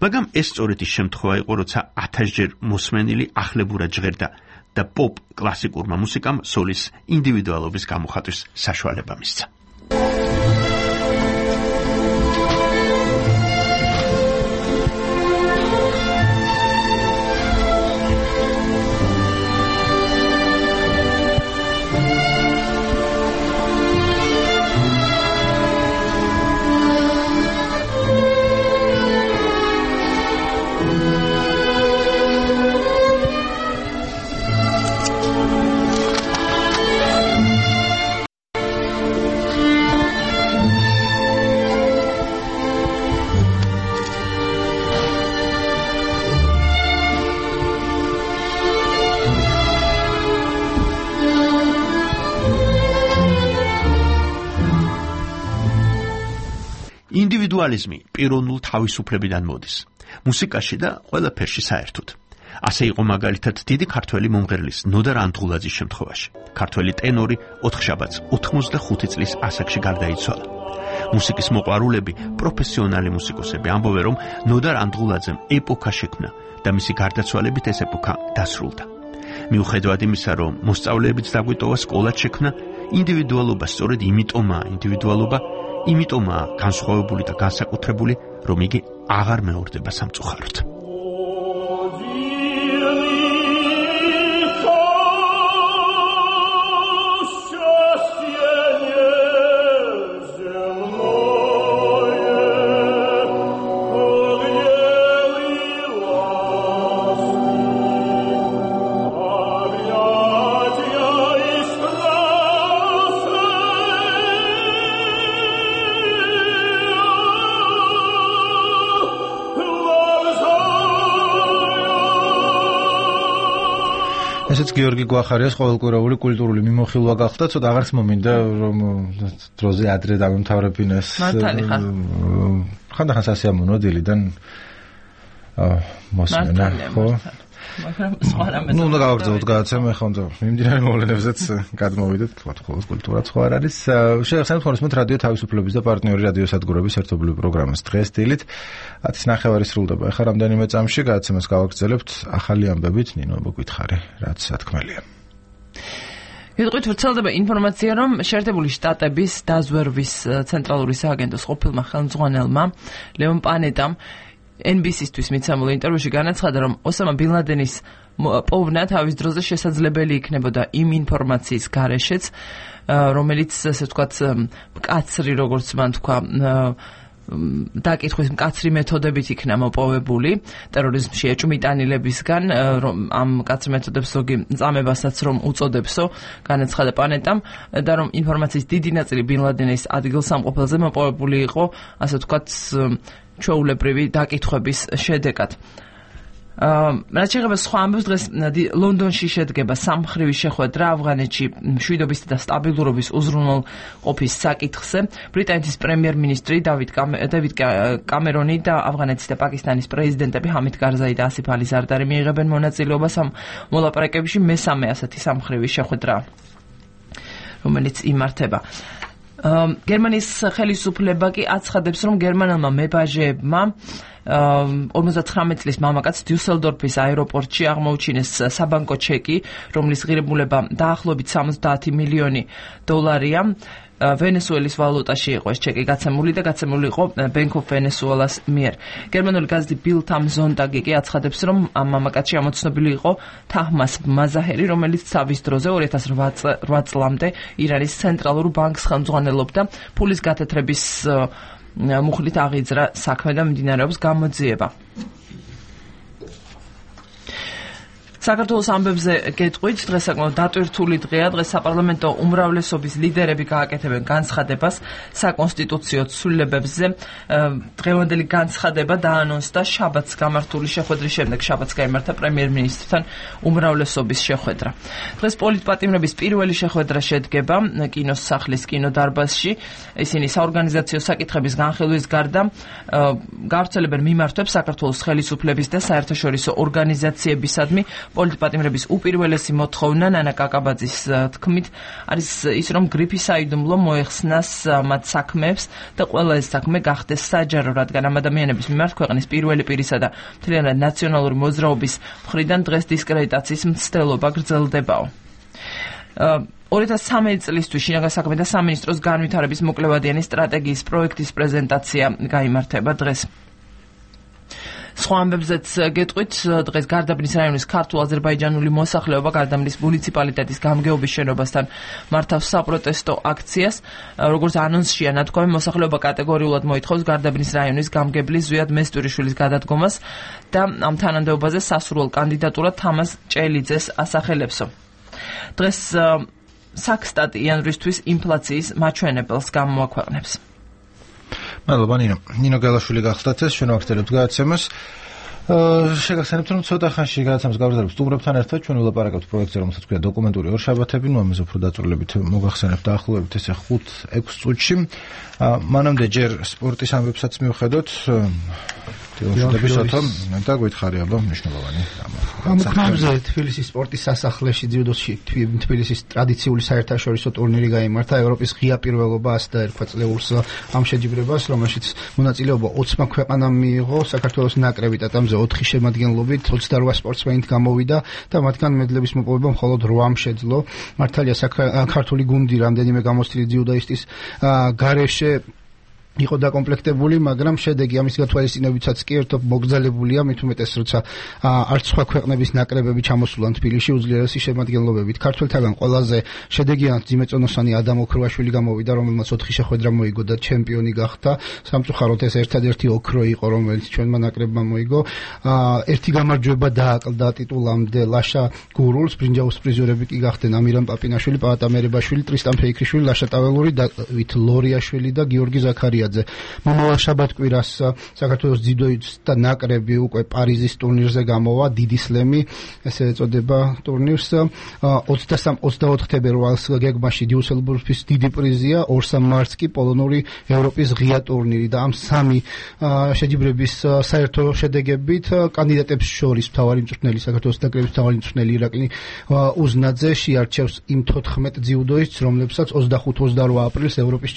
მაგრამ ეს სწორედ ის შემთხვევა იყო, როცა 1000-ჯერ მოსმენილი ახლებურად ჟღერდა და პოპ კლასიკურმა მუსიკამ სოლის ინდივიდუალობის გამოხატვის საშუალება მისცა. ინდივიდუალიზმი პიროვნულ თავისუფლებიდან მოდის. მუსიკაში და ყველაფერში საერთოდ. ასე იყო მაგალითად დიდი ქართველი მომღერლის ნოდარ ანდღულაძის შემთხვევაში. ქართველი ტენორი 4 შაბათს 85 წლის ასაკში გარდაიცვალა. მუსიკის მოყვარულები, პროფესიონალი მუსიკოსები ამბობენ, რომ ნოდარ ანდღულაძემ ეპოქა შექმნა და მისი გარდაცვალებით ეს ეპოქა დასრულდა. მიუხედავად იმისა, რომ მოსწავლეებიც დაგვიტოვა, სკოლაც შექმნა, ინდივიდუალობა სწორედ იმიტომაა განსხვავებული და განსაკუთრებული, რომ იგი აღარ მეორდება სამწუხაროდ. ესეც გიორგი გვახარიას ყოველკვირეული კულტურული მიმოხილვა გახდა, ცოტა აღარც მომინდა რომ დროზე ადრე დამემთავრებინეს. ხანდახან სასიამოვნო დილიდან მოსმენა, ხო? ნუ უნდა გავაგრძელოთ გადაცემა, ხო, მიმდინარე მოვლენებზეც გადმოვიდეთ, თქვა ხოლმე კულტურა სხვა არ არის. შევახსენებთ ხოლმე რადიო თავისუფლების და პარტნიორი რადიო სადგურების ერთობლივი პროგრამას დღეს დილით 10:30 სრულდება. ახლა რამდენიმე წამში გადაცემას გავაგრძელებთ ახალი ამბებით, ნინო მოგვითხარი, რაც სათქმელია. ვიტყვით ვრცელდება ინფორმაცია, რომ შეერთებული შტატების დაზვერვის ცენტრალური სააგენტოს ყოფილმა ხელმძღვანელმა ლეონ პანეტამ NBC-ისთვის მიცემულ ინტერვიუში განაცხადა, რომ ოსამა ბინ ლადენის პოვნა თავის დროზე შესაძლებელი იქნებოდა იმ ინფორმაციის გარეშეც, რომელიც ასე ვთქვათ მკაცრი, როგორც მან თქვა, დაკითხვის მკაცრი მეთოდებით იქნა მოპოვებული ტერორიზმში ეჭვმიტანილებისგან, რომ ამ მკაცრ მეთოდებს ზოგი წამებასაც რომ უწოდებსო, განაცხადა პანეტამ და რომ ინფორმაციის დიდი ნაწილი ბინ ლადენის ადგილსამყოფელზე მოპოვებული იყო, ასე ვთქვათ, ჩვეულებრივი დაკითხვების შედეგად. რაც შეეხება სხვა ამბებს, დღეს ლონდონში შედგება სამმხრივი შეხვედრა ავღანეთში მშვიდობისა და სტაბილურობის უზრუნველყოფის საკითხზე. ბრიტანეთის პრემიერ-მინისტრი დავიდ კამერონი და ავღანეთის და პაკისტანის პრეზიდენტები ჰამიდ კარზაი და ასიფ ალი ზარდარი მიიღებენ მონაწილეობას ამ მოლაპარაკებებში. მესამე ასეთი სამმხრივი შეხვედრა, რომელიც იმართება. გერმანიის ხელისუფლება კი აცხადებს, რომ გერმანელმა მებაჟეებმა 59 წლის მამაკაც დიუსელდორფის აეროპორტში აღმოუჩინეს საბანკო ჩეკი, რომლის ღირებულება დაახლოებით 70 მილიონი დოლარია. ვენესუელის ვალუტაში იყო ეს ჩეკი გაცემული და გაცემული იყო Bank of Venezuela's მიერ. გერმანული გაზეთი Bild am Sonntag კი აცხადებს, რომ ამ მამაკაცში ამოცნობილი იყო თაჰმას მაზაჰერი, რომელიც თავის დროზე 2008 წლამდე ირანის ცენტრალურ ბანკს ხელმძღვანელობდა. ფულის გათეთრების მუხლით აღიძრა საქმე და მიმდინარეობს გამოძიება. საქართველოს ამბებზე გეტყვით, დღეს საკმაოდ დატვირთული დღეა. დღეს საპარლამენტო უმრავლესობის ლიდერები გააკეთებენ განცხადებას საკონსტიტუციო ცვლილებებზე. დღევანდელი განცხადება დაანონსდა შაბათს გამართული შეხვედრის შემდეგ. შაბათს გაიმართა პრემიერ-მინისტრთან უმრავლესობის შეხვედრა. დღეს პოლიტპატიმრების პირველი შეხვედრა შედგება კინოს სახლის კინოდარბაზში. ისინი საორგანიზაციო საკითხების განხილვის გარდა გავრცელებენ მიმართვებს საქართველოს ხელისუფლების და საერთაშორისო ორგანიზაციებისადმი. პოლიტპატიმრების უპირველესი მოთხოვნა ნანა კაკაბაძის თქმით არის ის, რომ გრიფი საიდუმლო მოეხსნას მათ საქმეებს და ყველა ეს საქმე გახდეს საჯარო, რადგან ამ ადამიანების მიმართ ქვეყნის პირველი პირისა და მთლიანად ნაციონალური მოძრაობის მხრიდან დღეს დისკრედიტაციის მცდელობა გრძელდებაო. 2013 წლისთვის შინაგან საქმეთა სამინისტროს განვითარების მოკლევადიანი სტრატეგიის პროექტის პრეზენტაცია გაიმართება დღეს. სხვა ამბებზეც გეტყვით, დღეს გარდაბნის რაიონის ქართულ-აზერბაიჯანული მოსახლეობა გარდაბნის მუნიციპალიტეტის გამგეობის შენობასთან მართავს საპროტესტო აქციას. როგორც ანონსშია ნათქვამი, მოსახლეობა კატეგორიულად მოითხოვს გარდაბნის რაიონის გამგებლის ზვიად მესტურიშვილის გადადგომას და ამ თანამდებობაზე სასურველ კანდიდატურად თამაზ ჭელიძეს ასახელებსო. დღეს საქსტატი იანვრისთვის ინფლაციის მაჩვენებელს გამოაქვეყნებს. მადლობა ნინო გელაშვილი გახდათ ეს ჩვენ ვაგრძელებთ გადაცემას. შეგახსენებთ, რომ ცოტა ხანში გადაცემას გავაგრძელებთ სტუმრებთან ერთად. ჩვენ ვილაპარაკებთ პროექტზე, რომელსაც ქვია დოკუმენტური ორშაბათები, ნუ ამაზე უფრო დაწვრილებით მოგახსენებთ დაახლოებით ესე 5-6 წუთში. მანამდე ჯერ სპორტის ამბებსაც მივხედოთ. თილოშდაბისოთო და გვითხარი აბა მნიშვნელოვანი ამოქმედზე თბილისის სპორტის სასახლეში ძიუდოში თბილისის ტრადიციული საერთაშორისო ტურნირი გაიმართა. ევროპის ღია პირველობა ასდა ერქვა წლეულს ამ შეჯიბრებას, რომელშიც მონაწილეობა 20 ქვეყანამ მიიღო. საქართველოს ნაკრები ტატამზე 4 შემადგენლობით 28 სპორტსმენით გამოვიდა და მათგან მედლების მოპოვება მხოლოდ 8 შეძლო. მართალია ქართული გუნდი რამდენიმე გამოცდილი ძიუდაისტის გარეშე იყო დაკომპლექტებული, მაგრამ შედეგი ამის გათვალისწინებითაც კი ერთობ მოგზალებულია, მით უმეტეს როცა არც სხვა ქვეყნების ნაკრებები ჩამოსულან თბილისში უძლიერესი შემადგენლობებით. ქართველთაგან ყველაზე შედეგიანად ძიმეწონოსანი ადამ ოქროაშვილი გამოვიდა, რომელმაც 4 შეხვედრა მოიგო და ჩემპიონი გახდა. სამწუხაროდ ეს ერთადერთი ოქრო იყო, რომელიც ჩვენმა ნაკრებმა მოიგო. ერთი გამარჯვება დააკლდა ტიტულამდე ლაშა გურულს, ბრინჯაოს პრიზიორები კი გახდნენ ამირან პაპინაშვილი, პაატა მერებაშვილი, ტრისტან ფეიქრიშვილი, ლაშა ტაველური, დავით ლორიაშვილი და გიორგი ზაქარია. ოლიმპიადზე. მომავალ შაბათ-კვირას საქართველოს ძიუდოისტთა ნაკრები უკვე პარიზის ტურნირზე გამოვა, დიდი სლემი, ესე ეწოდება ტურნირს. 23-24 თებერვალს გეგმაში დიუსელდორფის დიდი პრიზია, 2 მარტს კი პოლონური ევროპის ღია ტურნირი და ამ სამი შეჯიბრების საერთო შედეგებით კანდიდატებს შორის მთავარი მწვრთნელი საქართველოს ნაკრების მთავარი მწვრთნელი ირაკლი უზნაძე შეარჩევს იმ 14 ძიუდოისტს, რომლებსაც 25-28 აპრილს ევროპის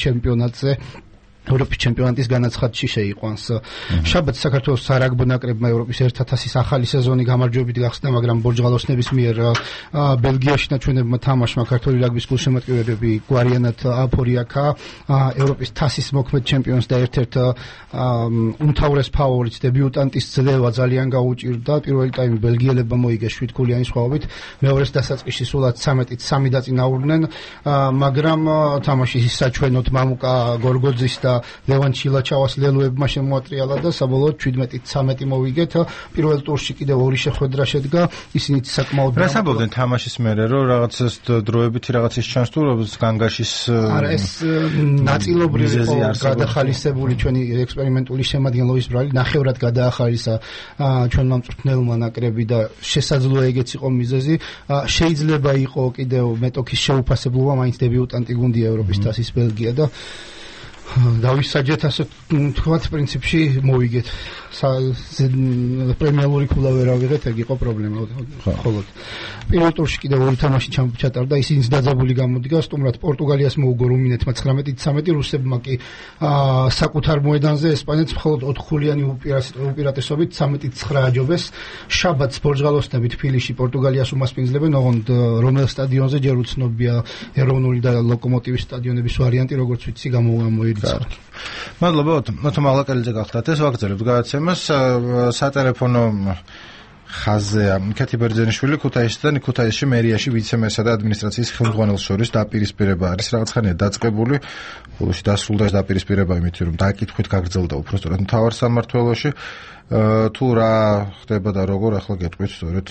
ჩემპიონატის განაცხადში შეიყვანს. შაბათს საქართველოს სარაგბო ნაკრებმა ევროპის 1000-ის ახალი სეზონი გამარჯვებით გახსნა, მაგრამ ბორჯღალოსნების მიერ ბელგიაში ნაჩვენებმა თამაშმა ქართული რაგბის გულშემატკივრები გვარიანად აფორიაკა ევროპის 1000-ის მოქმედ ჩემპიონს და ერთ-ერთ უმთავრეს ფავორიტს დებიუტანტის ძლევა ძალიან გაუჭირდა. პირველი ტაიმი ბელგიელებმა მოიგეს 7 გოლიანი სხვაობით, მეორეს დასაწყისში სულად 13-3 დაწინაურდნენ, მაგრამ თამაშის საჩვენოდ მამუკა გორგოძის და ლევან ჩილაჩავას ლელოებმა შემოატრიალა და საბოლოოდ 17-13 მოვიგეთ. პირველ ტურში კიდევ 2 შეხვედრა შედგა, ისინიც საკმაოდ რას ამბობდნენ თამაშის მერე, რომ რაღაცას დროებითი რაღაცის ჩანს თუ განგაშის არა ეს ნაწილობრივ იყო გადახალისებული ჩვენი ექსპერიმენტული შემადგენლობის ბრალი, ნახევრად გადაახალისა ჩვენმა მწვრთნელმა ნაკრები და შესაძლოა ეგეც იყო მიზეზი. შეიძლება იყო კიდევ მეტოქის შეუფასებლობა, მაინც დებიუტანტი გუნდია ევროპის 1000-ის ბელგია და დავისაჯეთ ასე თქვათ პრინციპში მოვიგეთ პრემიალური ქულა ვერ ავიღეთ, ეგ იყო პრობლემა ხოლოდ პირველ ტურში კიდევ 2 თამაში ჩატარდა, ისინიც დაძაბული გამოდგა, სტუმრად პორტუგალიას მოუგო რუმინეთმა 19-13, რუსებმა კი საკუთარ მოედანზე ესპანეთს მხოლოდ 4 ხულიანი უპირატესობით 13-9 აჯობეს. შაბათს ბორჯღალოსნები თბილისში პორტუგალიას უმასპინძლებენ, ოღონდ რომელ სტადიონზე ჯერ უცნობია, ეროვნული და ლოკომოტივის სტადიონების ვარიანტი, როგორც ვიცი, გამოიცა. მადლობა, მოთო მაღლაკელიძე გახდათ. ეს ვაგრძელებთ გადაცემას სატელეფონო ხაზია. კეთი ბერძენიშვილი ქუთაისიდან, ქუთაისში მერიაში ვიცე-მერსა და ადმინისტრაციის ხელმძღვანელს შორის დაპირისპირება არის რაღაცხანია დაწყებული. ბოლოში დასრულდა ეს დაპირისპირება იმით, რომ დაკითხვით გაგრძელდა უბრალოდ მთავარ სამმართველოში. თუ რა ხდება და როგორ ახლა გეტყვით სწორედ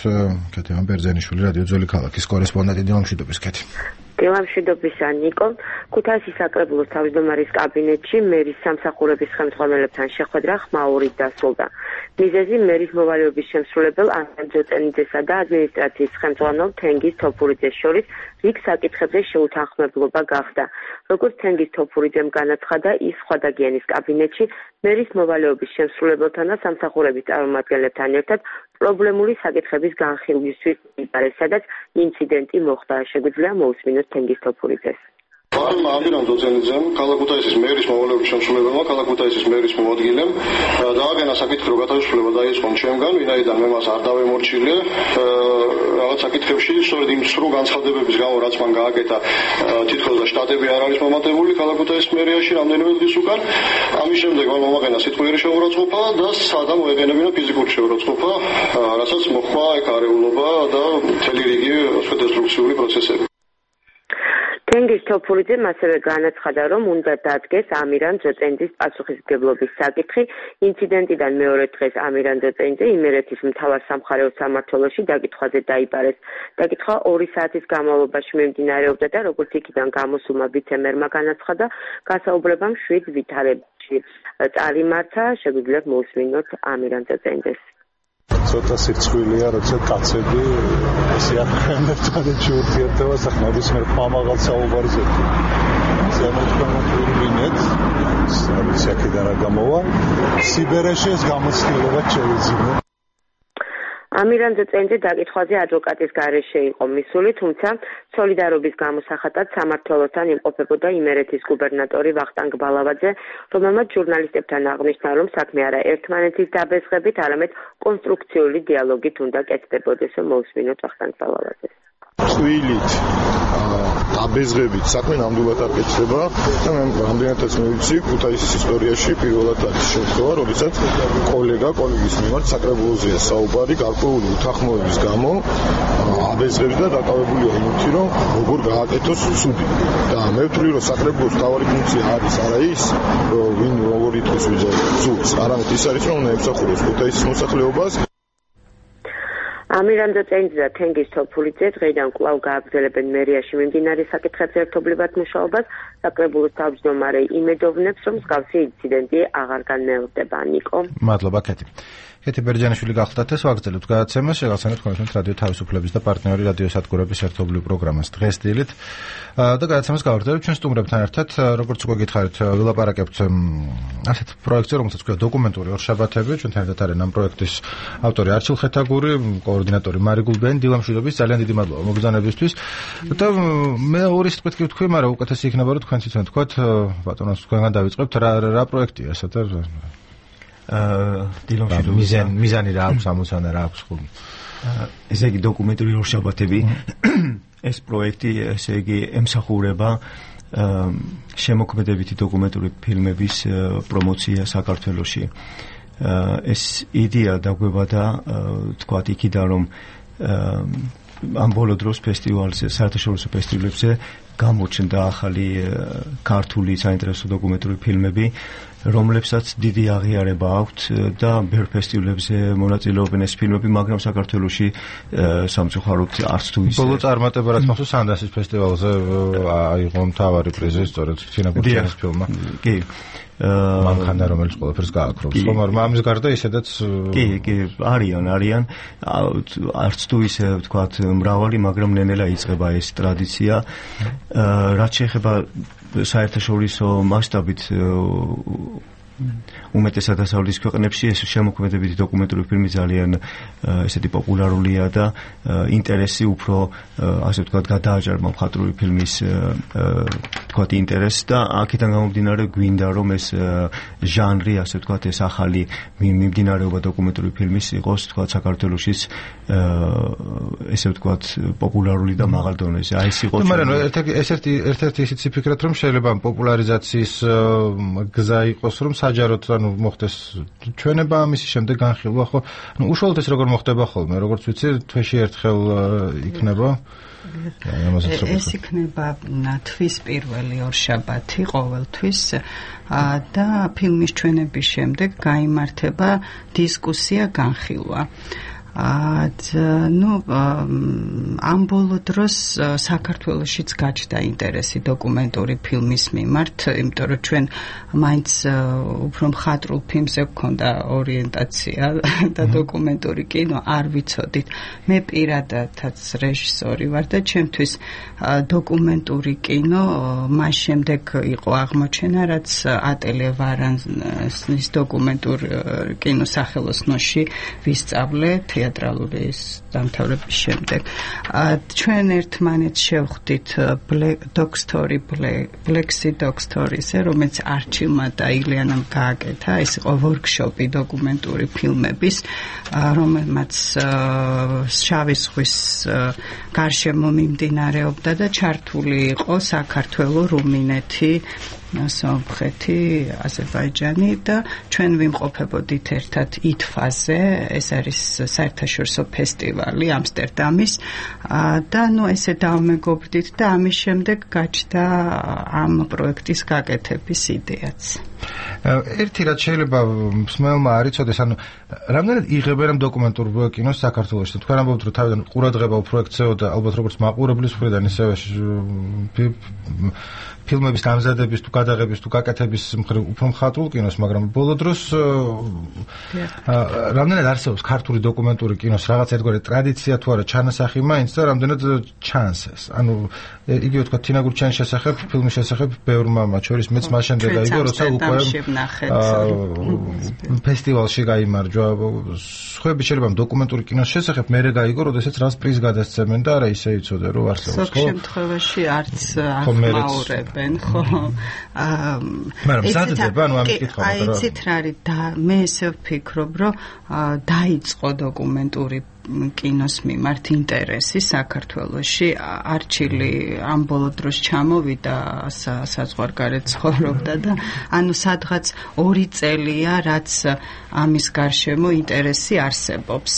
კეთი ბერძენიშვილი რადიო ძველი ქალაქის კორესპონდენტი დილამშვიდობის კეთი. დილამშვიდობისა ნიკო. ქუთაისის საკრებულოს თავმჯდომარის კაბინეტში მერის სამსახურების ხელმძღვანელებთან შეხვედრა ხმაურით დასრულდა. მიზეზი მერის მოვალეობის შემსრულებელ ანტონ ჯოწენიძესა და ადმინისტრაციის ხელმძღვანელ თენგიზ თოფურიძეს შორის რიგ საკითხებზე შეუთანხმებლობა გახდა. როგორც თენგიზ თოფურიძემ განაცხადა, ის სხვადაგიანის კაბინეტში მერის მოვალეობის შემსრულებელთან და სამსახურების წარმომადგენლებთან ერთად პრობლემული საკითხების განხილვისთვის იბარეს, სადაც ინციდენტი მოხდა. შეგვიძლია მოусმინოთ თენგიზ თოფურიძეს. ამირან ჯოწენიძემ, ქალაქ ქუთაისის მერის მოვალეობის შემსრულებელმა, ქალაქ ქუთაისის მერის მოადგილემ დააგენა საკითხი, რომ გათავისუფლება დაიწყო ჩემგან, ვინაიდან მე მას არ დავემორჩილე რაღაც საკითხებში, სწორედ იმ სრულ განცხადებების გამო, რაც მან გააკეთა, თითქოს და შტატები არ არის მომატებული ქალაქ ქუთაისის მერიაში რამდენიმე დღის უკან. ამის შემდეგ მან მომაყენა სიტყვიერი შეურაცხყოფა და სადა მოეყენებინა ფიზიკური შეურაცხყოფა, რასაც მოხდა ეგ არეულობა და მთელი რიგი დესტრუქციული პროცესები. თენგიზ თოფურიძემ ასევე განაცხადა, რომ უნდა დადგეს ამირან ჯოწენიძის პასუხისმგებლობის საკითხი. ინციდენტიდან მეორე დღეს ამირან ჯოწენიძე იმერეთის მთავარ სამხარეო სამმართველოში დაკითხვაზე დაიბარეს. დაკითხვა 2 საათის განმავლობაში მიმდინარეობდა და როგორც იქიდან გამოსულმა ვიცე-მერმა განაცხადა, გასაუბრებამ 7 ვითარებაში წარიმართა. შეგვიძლია მოусმინოთ ამირან ჯოწენიძეს. ცოტა სირცხვილია, როცა კაცები ისიახრენ ერთმანეთში ურთიერთობას, ახლა ნებისმიერ ხმამაღალ საუბარს ზემოთქვამოთ, არის აქედან რა გამოვა, სიბერეში ეს გამოცდილება შევიძინო. ამირან ჯოწენიძე დაკითხვაზე ადვოკატის გარეშე იყო მისული, თუმცა სოლიდარობის გამოსახატად სამმართველოსთან იმყოფებოდა იმერეთის გუბერნატორი ვახტანგ ბალავაძე, რომელმაც ჟურნალისტებთან აღნიშნა, რომ საქმე არა ერთმანეთის დაბეზღებით, არამედ კონსტრუქციული დიალოგით უნდა კეთდებოდეს. მოусმინოთ ვახტანგ ბალავაძეს. წვილით დაბეზღებით საქმე ნამდვილად არ კეთდება და მე რამდენადაც მივიცი, ქუთაისის ისტორიაში პირველად არის შემთხვევა, როდესაც კოლეგის მიმართ საკრებულოზეა საუბარი გარკვეული უთანხმოების გამო აბეზღებს და დაკავებულია იმითი, რომ როგორ გააკეთოს ცუდი. და მე ვთვლი, რომ საკრებულოს მთავარი ფუნქცია არის არა ის, რომ ვინ როგორ ითქოს ვიძახოს, არამედ ის არის, რომ უნდა ემსახუროს ქუთაისის მოსახლეობას. ამირანდო წერინძე და თენგიზ თოფულიძე დღეიდან კვლავ გააგრძელებენ მერიაში მიმდინარე საკითხებზე ერთობლივად მუშაობას. საკრებულოს თავმჯდომარე იმედოვნებს, რომ მსგავსი ინციდენტი აღარ განმეორდება. ნიკო. მადლობა, კეთი. კეთი ბერჯანიშვილი გახლდათ ეს ვაგრძელებთ გადაცემას, შეგახსენებთ თქვენს რადიო თავისუფლების და პარტნიორი რადიო სადგურების ერთობლივ პროგრამას დღეს დილით. და გადაცემას გავაგრძელებთ ჩვენ სტუმრებთან ერთად, როგორც უკვე გითხარით, ვილაპარაკებთ ასეთ პროექტზე, რომელსაც ქვია დოკუმენტური ორშაბათები. ჩვენთან ერთად არის ამ პროექტის ავტორი არჩილ ხეთაგური, კოორდინატორი მარი გულბენი, დილა მშვიდობის, ძალიან დიდი მადლობა მოგზაურობისთვის. და მე ორი სიტყვით კი ვთქვი, მაგრამ უკეთესი იქნება რომ თქვენ თვითონ თქვათ, ბატონოს თქვენგან დავიწყებთ, რა პროექტია ეს და მიზანი რა აქვს, ამოცანა რა აქვს ხომ? ესე იგი დოკუმენტური ორშაბათები ეს პროექტი ესე იგი ემსახურება შემოქმედებითი დოკუმენტური ფილმების პრომოცია საქართველოში. ეს იდეა დაგვებადა თქვათ იქიდან რომ ამ ბოლო დროს ფესტივალზე, საერთაშორისო ფესტივალებზე გამოჩნდა ახალი ქართული საინტერესო დოკუმენტური ფილმები, რომლებსაც დიდი აღიარება აქვთ და ბევრ ფესტივალებზე მონაწილეობენ ეს ფილმები, მაგრამ საქართველოში სამწუხაროდ არც თუ ისე. ბოლო წარმატება რაც მოხდა სანდასის ფესტივალზე აიღო მთავარი პრიზი სწორედ თინა გურჩენის ფილმმა. კი. მანქანა რომელიც ყველაფერს გააქრობს. ხომ არ ამის გარდა ისედაც კი, არიან. არც თუ ისე ვთქვათ მრავალი, მაგრამ ნენელა იწყება ეს ტრადიცია. რაც შეეხება საერთაშორისო მასშტაბით უმეტესად დასავლეთის ქვეყნებში ეს შემოქმედებითი დოკუმენტური ფილმი ძალიან ესეთი პოპულარულია და ინტერესი უფრო ასე ვთქვათ გადააჭარბა მხატვრული ფილმის ვთქვათ ინტერესს და აქედან გამომდინარე გვინდა რომ ეს ჟანრი ასე ვთქვათ ეს ახალი მიმდინარეობა დოკუმენტური ფილმის იყოს ვთქვათ საქართველოშიც ესე ვთქვათ პოპულარული და მაღალ დონეზე. აი ეს იყო. მაგრამ ერთ-ერთი ისიც ვფიქრობ რომ შეიძლება პოპულარიზაციის გზა იყოს რომ საჯაროდ ანუ მოხდეს ჩვენება ამის შემდეგ განხილვა ხო? ნუ უშუალოდ ეს როგორ მოხდება ხოლმე, როგორც ვიცი, თვეში ერთხელ იქნება. ეს იქნება თვის პირველი ორშაბათი ყოველთვის და ფილმის ჩვენების შემდეგ გაიმართება დისკუსია განხილვა. ამ ბოლო დროს საქართველოშიც გაჩნდა ინტერესი დოკუმენტური ფილმის მიმართ, იმიტომ რომ ჩვენ მაინც უფრო მხატვრულ ფილმზე გვქონდა ორიენტაცია და დოკუმენტური კინო არ ვიცოდით. მე პირადადაც რეჟისორი ვარ და ჩემთვის დოკუმენტური კინო მას შემდეგ იყო აღმოჩენა, რაც ატელიე ვარანის დოკუმენტურ კინოს სახელოსნოში ვისწავლე თეატრალური დამთავრების შემდეგ. ჩვენ ერთმანეთს შევხვდით Black Dog Stories-ზე, რომელიც არჩილმა და ილიანამ გააკეთა. ეს იყო ვორქშოპი დოკუმენტური ფილმების, რომელმაც შავი ზღვის გარშემო მიმდინარეობდა და ჩართული იყო საქართველო, რუმინეთი, სომხეთი, აზერბაიჯანი და ჩვენ ვიმყოფებოდით ერთად ითვაზე, ეს არის საერთაშორისო ფესტივალი ამსტერდამის და ესე დავმეგობრდით და ამის შემდეგ გაჩნდა ამ პროექტის გაკეთების იდეაც. ერთი რაც შეიძლება მსმენელმა არ იცოდეს, ანუ რამდენად იღებენ ამ დოკუმენტურ კინოს საქართველოში? თქვენ ამბობთ, რომ თავიდან ყურადღება პროექტზეო და ალბათ როგორც მაყურებლის მხრიდან, ისევე ფილმების დამზადების თუ გადაღების თუ გაკეთების მხრივ უფრო მხატვრულ კინოს, მაგრამ ბოლო დროს რამდენად არსებობს ქართული დოკუმენტური კინოს რაღაც ერთგვარი ტრადიცია თუ არა ჩანასახი მაინც და რამდენად ჩანს ეს? ანუ იგივე თქვა თინა გურჩენის შესახებ, ფილმის შესახებ ბევრმა მათ შორის მეც მას შემდეგ აიგო, როცა უკვე ფესტივალში გაიმარჯვა. სხვები შეიძლება დოკუმენტური კინოს შესახებ მერე გაიგო, როდესაც რას პრიზ გადასცემენ და არა ისე იცოდე რომ არსებობს, ხო? ზოგ შემთხვევაში არც ახმაურებენ, ხო? მაგრამ მზადდება, ანუ ამის კითხვა აი იცით რა არის და მე ესე ვფიქრობ, რომ დაიწყო დოკუმენტური კინოს მიმართ ინტერესი საქართველოში. არჩილი ამ ბოლო დროს ჩამოვიდა საზღვარგარეთ ცხოვრობდა და ანუ სადღაც 2 წელია, რაც ამის გარშემო ინტერესი არსებობს.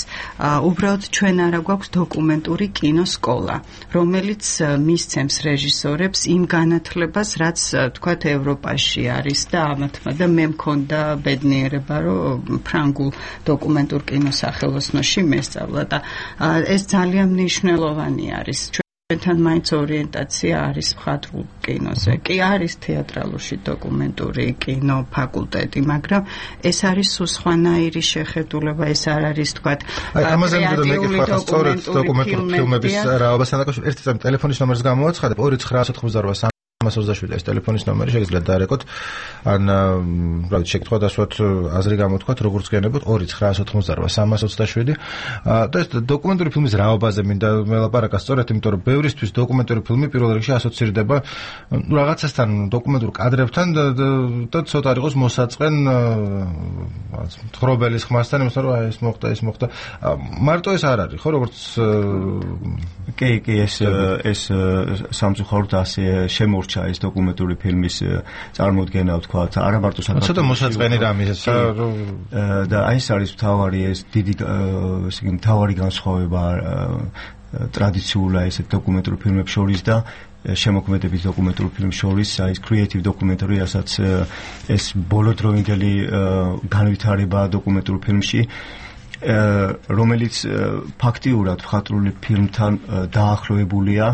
უბრალოდ ჩვენ არა გვაქვს დოკუმენტური კინოსკოლა, რომელიც მისცემს რეჟისორებს იმ განათლებას, რაც თქვათ ევროპაში არის და ამათმა და მე მქონდა ბედნიერება, რომ ფრანგულ დოკუმენტურ კინოსახელოსნოში მესწავლა და ეს ძალიან მნიშვნელოვანი არის. ჩვენთან მაინც ორიენტაცია არის მხატვრულ კინოზე. კი არის თეატრალურში დოკუმენტური კინო ფაკულტეტი, მაგრამ ეს არის სხვანაირი შეხედულება, ეს არ არის თქვათ ამაზე მეკითხა სწორედ დოკუმენტური ფილმების რაობასთან დაკავშირებით. ერთ ტელეფონის ნომერს გამოვაცხადებ 2988 327 ეს ტელეფონის ნომერი შეგიძლიათ დაარეკოთ ან რა ვიცი შეკითხვა დასვათ აზრი გამოთქვათ როგორც გენებოთ 2988 327 და ეს დოკუმენტური ფილმის რაობაზე მინდა მელაპარაკა სწორედ იმიტომ რომ ბევრისთვის დოკუმენტური ფილმი პირველ რიგში ასოცირდება რაღაცასთან დოკუმენტურ კადრებთან და ცოტა არ იყოს მოსაწყენ თხრობელის ხმასთან იმასთან რომ ეს მოხდა მარტო ეს არ არის ხო როგორც კი ეს სამწუხაროდ ასე შემორჩა ეს დოკუმენტური ფილმის წარმოდგენა ვთქვათ არა მარტო საქართველოს ცოტა მოსაწყენი რამე და ეს არის მთავარი ეს დიდი ესე იგი მთავარი განსხვავება ტრადიციულად ეს დოკუმენტური ფილმებს შორის და შემოქმედების დოკუმენტური ფილმს შორის აი ეს კრეატივ დოკუმენტური რასაც ეს ბოლოდროინდელი განვითარება დოკუმენტურ ფილმში რომელიც ფაქტიურად მხატვრული ფილმთან დაახლოებულია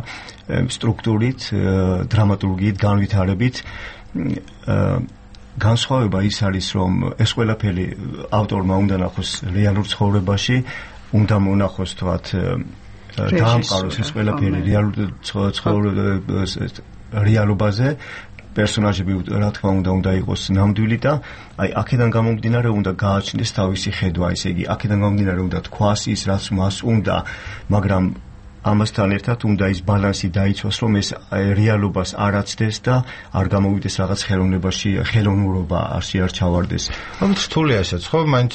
სტრუქტურით, დრამატურგიით, განვითარებით. განსხვავება ის არის, რომ ეს ყველაფერი ავტორმა უნდა ნახოს რეალურ ცხოვრებაში, უნდა მონახოს თქვათ დაამყაროს ეს ყველაფერი რეალობაზე. პერსონაჟები რა თქმა უნდა იყოს ნამდვილი და აი აქედან გამომდინარე უნდა გააჩნდეს თავისი ხედვა, ესე იგი აქედან გამომდინარე უნდა თქვას ის რაც მას უნდა, მაგრამ ამასთან ერთად უნდა ის ბალანსი დაიცვას, რომ ეს რეალობას არ აცდეს და არ გამოვიდეს რაღაც ხელოვნებაში, ხელოვნურობა არ ჩავარდეს. ამით რთულია ესეც, ხო? მაინც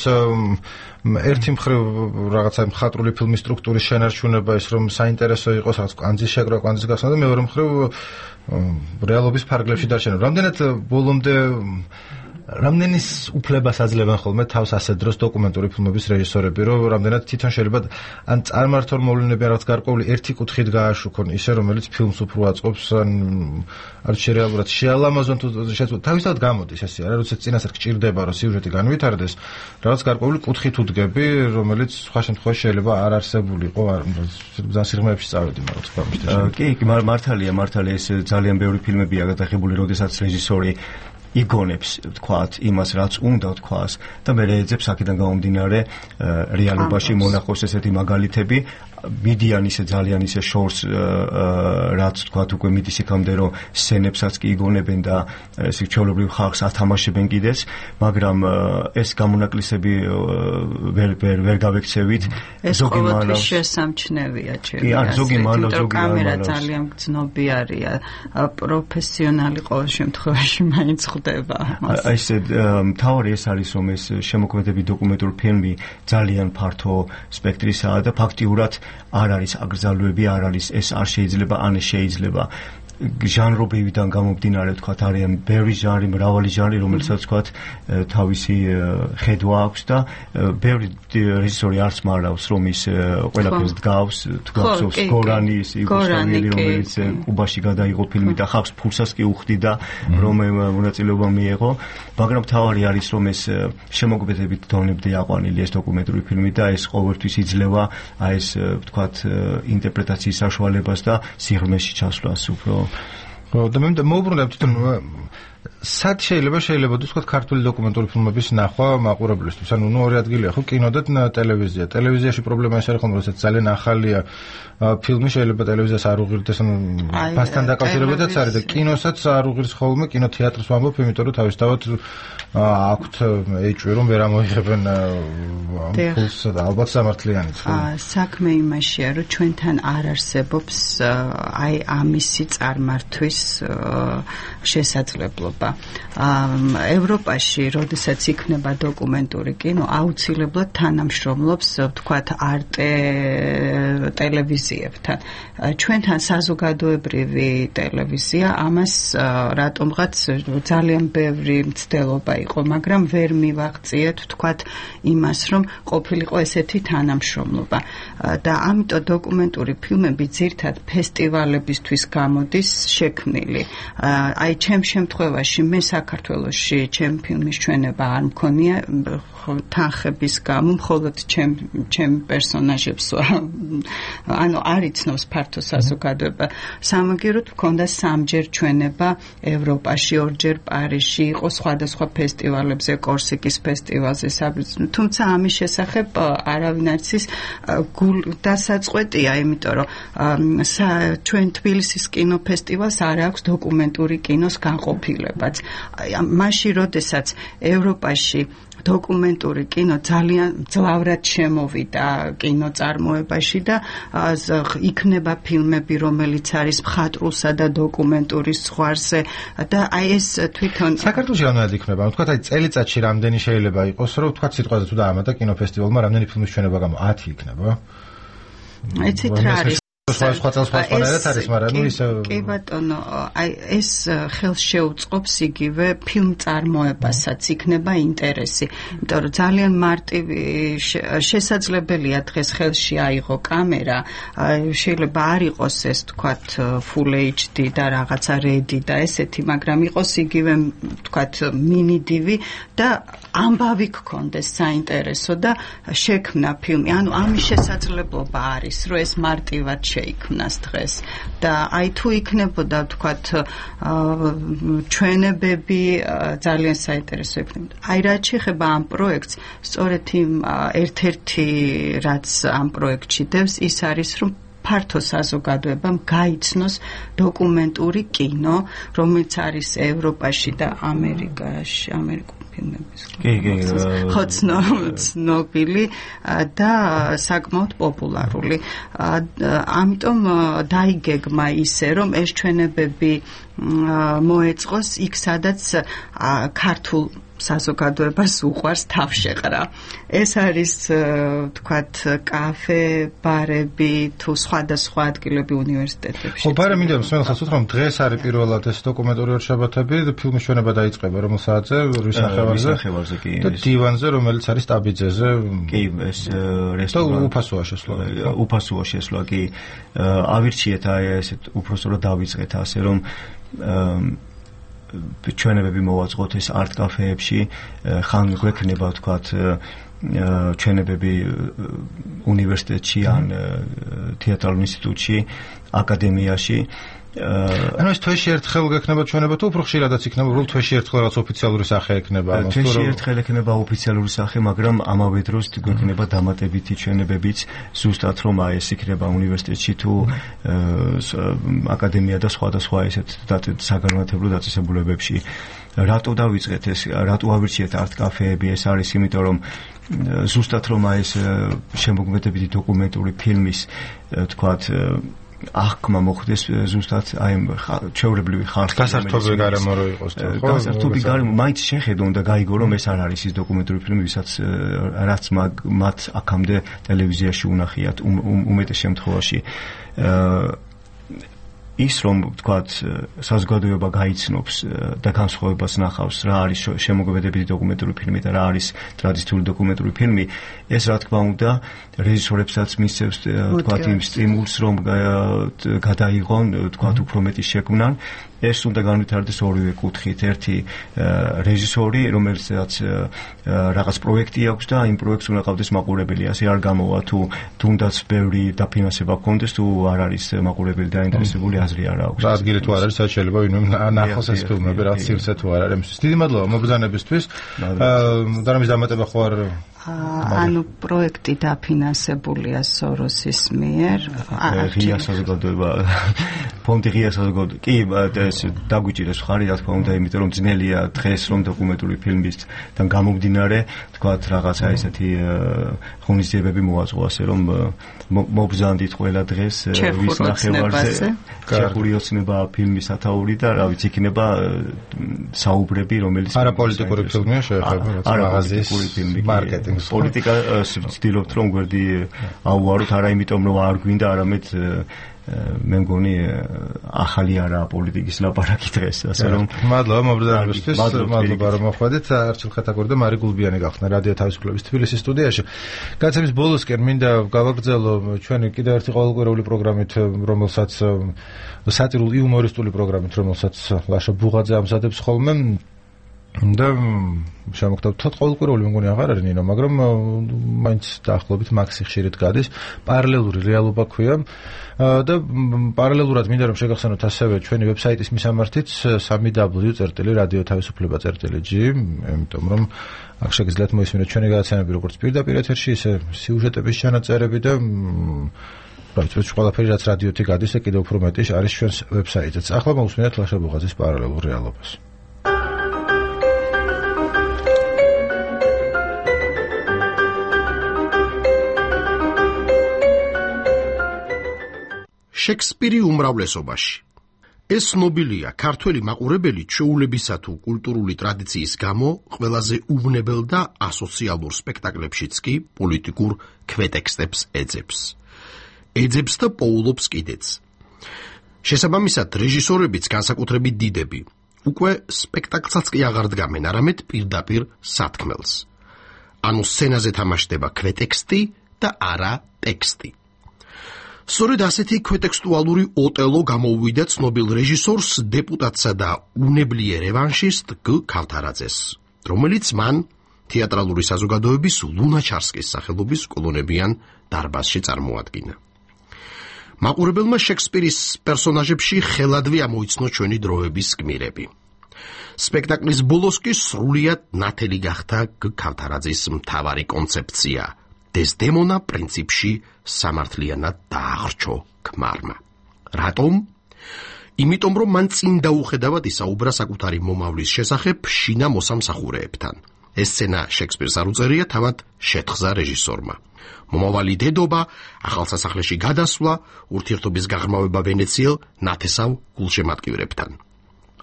ერთი მხრივ რაღაცა მხატვრული ფილმის სტრუქტურის შენარჩუნება ის რომ საინტერესო იყოს რაღაც კვანძის შეკრა, კვანძის გახსნა და მეორე მხრივ რეალობის ფარგლებში დარჩენა. რამდენად ბოლომდე რამდენის უფლებას აძლევენ ხოლმე თავს ასე დროს დოკუმენტური ფილმების რეჟისორები, რომ რამდენად თვითონ შეიძლება ან წარმართულ მოვლენები რაღაც გარკვეული ერთი კუთხით გააშუქონ, ისე რომელიც ფილმს უფრო აწყობს, ან არ შეrealურად შეალამაზონ თუ თავისთავად გამოდის ესე არა, როდესაც წინასწარ გჭირდება რომ სიუჟეტი განვითარდეს, რაღაც გარკვეული კუთხით უდგები, რომელიც სხვა შემთხვევაში შეიძლება არ არსებული იყო, ძალიან სიღრმეებში წავედი, მაგრამ თქვა მისდევს. კი, მართალია ეს ძალიან ბევრი ფილმებია გადაღებული, როდესაც რეჟისორი იგონებს თქვათ იმას რაც უნდა თქვას და მე ეძებს აქედან გამომდინარე რეალობაში მონახოს ესეთი მაგალითები მიდიან ისე ძალიან ისე შორს რაც თქვათ უკვე მიდის იქამდე რომ სცენებსაც კი იგონებენ და ესე ჩვეულებრივ ხალხს ათამაშებენ კიდეც მაგრამ ეს გამონაკლისები ვერ გავექცევით ზოგი მანავს შესამჩნევია ზოგი მანავს კამერა ძალიან გრძნობიარია პროფესიონალი ყოველ შემთხვევაში მაინც ხდება აი ესე მთავარი ეს არის რომ ეს შემოქმედები დოკუმენტური ფილმი ძალიან ფართო სპექტრისაა და ფაქტიურად არ არის აკრძალვები, არ არის ეს არ შეიძლება, ან ეს შეიძლება. ჟანრობებიდან გამომდინარე თქვათ არიან ბევრი ჟანრი, მრავალი ჟანრი, რომელსაც თქვათ თავისი ხედვა აქვს და ბევრი რეჟისორი არც მარავს, რომ ის ყველაფერს დგავს, თუ გახსოვს გორანის იუგოსლავიელი, რომელიც კუბაში გადაიღო ფილმი და ხალხს ფულსაც კი უხდიდა, რომ მონაწილეობა მიიღო, მაგრამ თავარი არის, რომ ეს შემოქმედებით დონემდე აყვანილი ეს დოკუმენტური ფილმი და ეს ყოველთვის იძლევა აი ეს თქვათ ინტერპრეტაციის საშუალებას და სიღრმეში ჩასვლას უფრო და მე მოუბრუნებ თვითონ სად შეიძლება თქვათ ქართული დოკუმენტური ფილმების ნახვა მაყურებლისთვის ანუ ორი ადგილია ხო კინო და ტელევიზია ტელევიზიაში პრობლემა ის არის ხომ როდესაც ძალიან ახალია ფილმი შეიძლება ტელევიზიას არ უღირდეს ანუ ფასთან დაკავშირებითაც არის და კინოსაც არ უღირს ხოლმე კინოთეატრს ვამბობ იმიტომ რომ თავისთავად აქვთ ეჭვი რომ ვერ ამოიღებენ ფულს და ალბათ სამართლიანიც საქმე იმაშია რომ ჩვენთან არ არსებობს აი ამისი წარმართვის შესაძლებლობა მნიშვნელობა. ევროპაში, როდესაც იქნება დოკუმენტური კინო, აუცილებლად თანამშრომლობს, ვთქვათ, არტე ტელევიზიებთან. ჩვენთან საზოგადოებრივი ტელევიზია ამას რატომღაც ძალიან ბევრი მცდელობა იყო, მაგრამ ვერ მივაღწიეთ, ვთქვათ, იმას, რომ ყოფილიყო ესეთი თანამშრომლობა. და ამიტომ დოკუმენტური ფილმები ძირთად ფესტივალებისთვის გამოდის შექმნილი. აი, ჩემ შემთხვევაში მე საქართველოში ჩემ ფილმის ჩვენება არ მქონია თანხების გამო, მხოლოდ ჩემ პერსონაჟებს ანუ არ იცნობს ფართო საზოგადოება. სამაგიეროდ მქონდა 3 ჩვენება ევროპაში, 2 პარიზში, იყო სხვადასხვა ფესტივალებზე, კორსიკის ფესტივალზე, თუმცა ამის შესახებ არავინ არ იცის დასაწყვეტია, იმიტომ რომ ჩვენ თბილისის კინოფესტივალს არ აქვს დოკუმენტური კინოს განყოფილებაც. მაშინ, როდესაც ევროპაში დოკუმენტური კინო ძალიან ძლავრად შემოვიდა კინოწარმოებაში და იქნება ფილმები, რომელიც არის მხატვრულსა და დოკუმენტურის ზღვარზე და აი ეს თვითონ საქართველოში რამდენად იქნება? თქვათ აი წელიწადში რამდენი შეიძლება იყოს, რომ თქვათ სიტყვაზე თუ დაამატა კინოფესტივალმა რამდენი ფილმის ჩვენება გამო 10 იქნება? ეცით რა არის? სხვა წელსვარად არის, მაგრამ ნუ ისე კი ბატონო, აი ეს ხელს შეუწყობს იგივე ფილმ წარმოებასაც, იქნება ინტერესი. იმიტომ რომ ძალიან მარტივი შესაძლებელია დღეს ხელში აიღო კამერა, შეიძლება არ იყოს ეს თქვათ full HD და რაღაცა ready და ესეთი, მაგრამ იყოს იგივე თქვათ mini DV და ამბავი გქონდეს საინტერესო და შექმნა ფილმი. ანუ ამის შესაძლებლობა არის, რომ ეს მარტივად შეიქმნას დღეს და აი თუ იქნებოდა ვთქვათ ჩვენებები ძალიან საინტერესო იქნებოდა. აი რაც შეეხება ამ პროექტს, სწორედ იმ ერთ-ერთი რაც ამ პროექტში დევს, ის არის რომ ფართო საზოგადოებამ გაიცნოს დოკუმენტური კინო, რომელიც არის ევროპაში და ამერიკაში, ფილმების ხო ცნობილი და საკმაოდ პოპულარული. ამიტომ დაიგეგმა ისე, რომ ეს ჩვენებები მოეწყოს იქ, სადაც ქართულ საზოგადოებას უყვარს თავშეყრა. ეს არის თქვათ კაფე, ბარები თუ სხვადასხვა ადგილები უნივერსიტეტებში. ხო, ბარემ მინდა მსმენელს უთხრა, რომ დღეს არის პირველად ეს დოკუმენტური ორშაბათები, ფილმის ჩვენება დაიწყება რომელ საათზე? რუსახევარზე კი. და დივანზე, რომელიც არის ტაბიძეზე. კი, ეს რესტორანი. უფასოა შესვლა. უფასოა შესვლა, კი. ავირჩიეთ აი ესეთ უпростоრად დავიწყეთ ასე რომ ჩვენებები მოვაწყოთ ეს არტ კაფეებში, ხან გვექნება ვთქვათ ჩვენებები უნივერსიტეტში ან თეატრალურ ინსტიტუტში, აკადემიაში. ანუ ეს თვეში ერთხელ გექნება ჩვენება თუ უფრო ხშირადაც იქნება, რომ თვეში ერთხელ რაღაც ოფიციალური სახე ექნება ამას? თვეში ერთხელ ექნება ოფიციალური სახე, მაგრამ ამავე დროს გვექნება დამატებითი ჩვენებებიც, ზუსტად რომ აი ეს იქნება უნივერსიტეტში თუ აკადემია და სხვადასხვა ესეთ საგანმანათლებლო დაწესებულებებში. რატო დავიწყეთ ეს, რატო ავირჩიეთ არტ კაფეები? ეს არის იმიტომ რომ ზუსტად რომ აი ეს შემოქმედებითი დოკუმენტური ფილმის თქვათ აღქმა მოხდეს ზუსტად აი ჩვეულებრივი ხალხის გასართობი გარემო რო იყოს და ხო გასართობი გარემო მაინც შეხედო უნდა გაიგო რომ ეს არ არის ის დოკუმენტური ფილმი ვისაც რაც მათ აქამდე ტელევიზიაში უნახიათ უმეტეს შემთხვევაში ის რომ ვთქვათ საზოგადოება გაიცნობს და განსხვავებას ნახავს რა არის შემოქმედებითი დოკუმენტური ფილმი და რა არის ტრადიციული დოკუმენტური ფილმი ეს რა თქმა უნდა რეჟისორებსაც მისცემს ვთქვათ იმ სტიმულს რომ გადაიღონ ვთქვათ უფრო მეტი შექმნან ეს უნდა განვითარდეს ორივე კუთხით ერთი რეჟისორი რომელიც რაღაც პროექტი აქვს და იმ პროექტს უნდა ყავდეს მაყურებელი ასე არ გამოვა თუ თუნდაც ბევრი დაფინანსება გქონდეს თუ არ არის მაყურებელი დაინტერესებული აზრი არ აქვს ადგილი თუ არ არის საერთოდ შეიძლება ვინმე ნახოს ეს ფილმები რაც სივრცე თუ არ არის დიდი მადლობა მობრძანებისთვის და რამის დამატება ხო არ ანუ პროექტი დაფინანსებულია სოროსის მიერ. ღია საზოგადოება ფონდი ღია საზოგადოება. კი, ეს დაგვიჭირეს ხარი, რა თქმა უნდა, იმიტომ რომ ძნელია დღეს რომ დოკუმენტური ფილმისთან გამომდინარე, თქვათ რაღაცა ესეთი ღონისძიებები მოაწყო, ასე რომ მობზანდით ყველა დღეს ვის ნახევარზე ჩეხური ოცნება ფილმის ათაური და რა ვიცი იქნება საუბრები, რომელიც არაპოლიტიკური ფილმია შეეხება მაღაზიის მარკეტინგს. პოლიტიკა ვცდილობთ რომ გვერდი აუაროთ, არა იმიტომ რომ არ გვინდა, არამედ მე მგონი ახალი არა პოლიტიკის ლაპარაკი დღეს, ასე რომ მადლობა მობრძანებისთვის, მადლობა რომ მოხვედით. არჩილ ხეთაგური და მარი გულბიანი გახსნა რადიო თავისუფლების თბილისის სტუდიაში. გაცემის ბოლოსკენ მინდა გავაგრძელო ჩვენი კიდევ ერთი ყოველკვირეული პროგრამით, რომელსაც სატირული იუმორისტული პროგრამით, რომელსაც ლაშა ბუღაძე ამზადებს ხოლმე. და შემოგთავთ ყოველკვირეული მეგონი აღარ არის ნინო, მაგრამ მაინც დაახლოებით მაქსი ხშირად გადის. პარალელური რეალობა ქვია და პარალელურად მინდა რომ შეგახსენოთ ასევე ჩვენი ვებსაიტის მისამართიც www.radiotavisufleba.g, იმიტომ რომ აქ შეგიძლიათ მოისმინოთ ჩვენი გადაცემები როგორც პირდაპირ ეთერში, ისე სიუჟეტების ჩანაწერები და რაც ყველაფერი რაც რადიოთი გადის, კიდევ უფრო მეტი არის ჩვენს ვებსაიტიც. ახლა მოусმინეთ ლაშა ბუღაძის პარალელურ რეალობას. შექსპირი უმრავლესობაში. ეს ცნობილია ქართველი მაყურებელი ჩვეულებისა თუ კულტურული ტრადიციის გამო ყველაზე უვნებელ და ასოციალურ სპექტაკლებშიც კი პოლიტიკურ ქვეტექსტებს ეძებს. ეძებს და პოულობს კიდეც. შესაბამისად, რეჟისორებიც განსაკუთრებით დიდები უკვე სპექტაკლსაც კი აღარ დგამენ, არამედ პირდაპირ სათქმელს. ანუ სცენაზე თამაშდება ქვეტექსტი და არა ტექსტი. სწორედ ასეთი ქვეტექსტუალური ოტელო გამოუვიდა ცნობილ რეჟისორს, დეპუტატსა და უნებლიე რევანშისტ გ. ქავთარაძეს, რომელიც მან თეატრალური საზოგადოების ლუნაჩარსკის სახელობის კოლონებიან დარბაზში წარმოადგინა. მაყურებელმა შექსპირის პერსონაჟებში ხელადვე ამოიცნო ჩვენი დროების გმირები. სპექტაკლის ბოლოს კი სრულიად ნათელი გახდა გ. ქავთარაძის მთავარი კონცეფცია. დეზდემონა პრინციპში სამართლიანად დააღრჩო ქმარმა. რატომ? იმიტომ რომ მან წინ დაუხედავად ისაუბრა საკუთარი მომავლის შესახებ შინა მოსამსახურეებთან. ეს სცენა შექსპირს არ უწერია, თავად შეთხზა რეჟისორმა. მომავალი დედობა, ახალსასახლეში გადასვლა, ურთიერთობის გაღრმავება ვენეციელ ნათესავ გულშემატკივრებთან.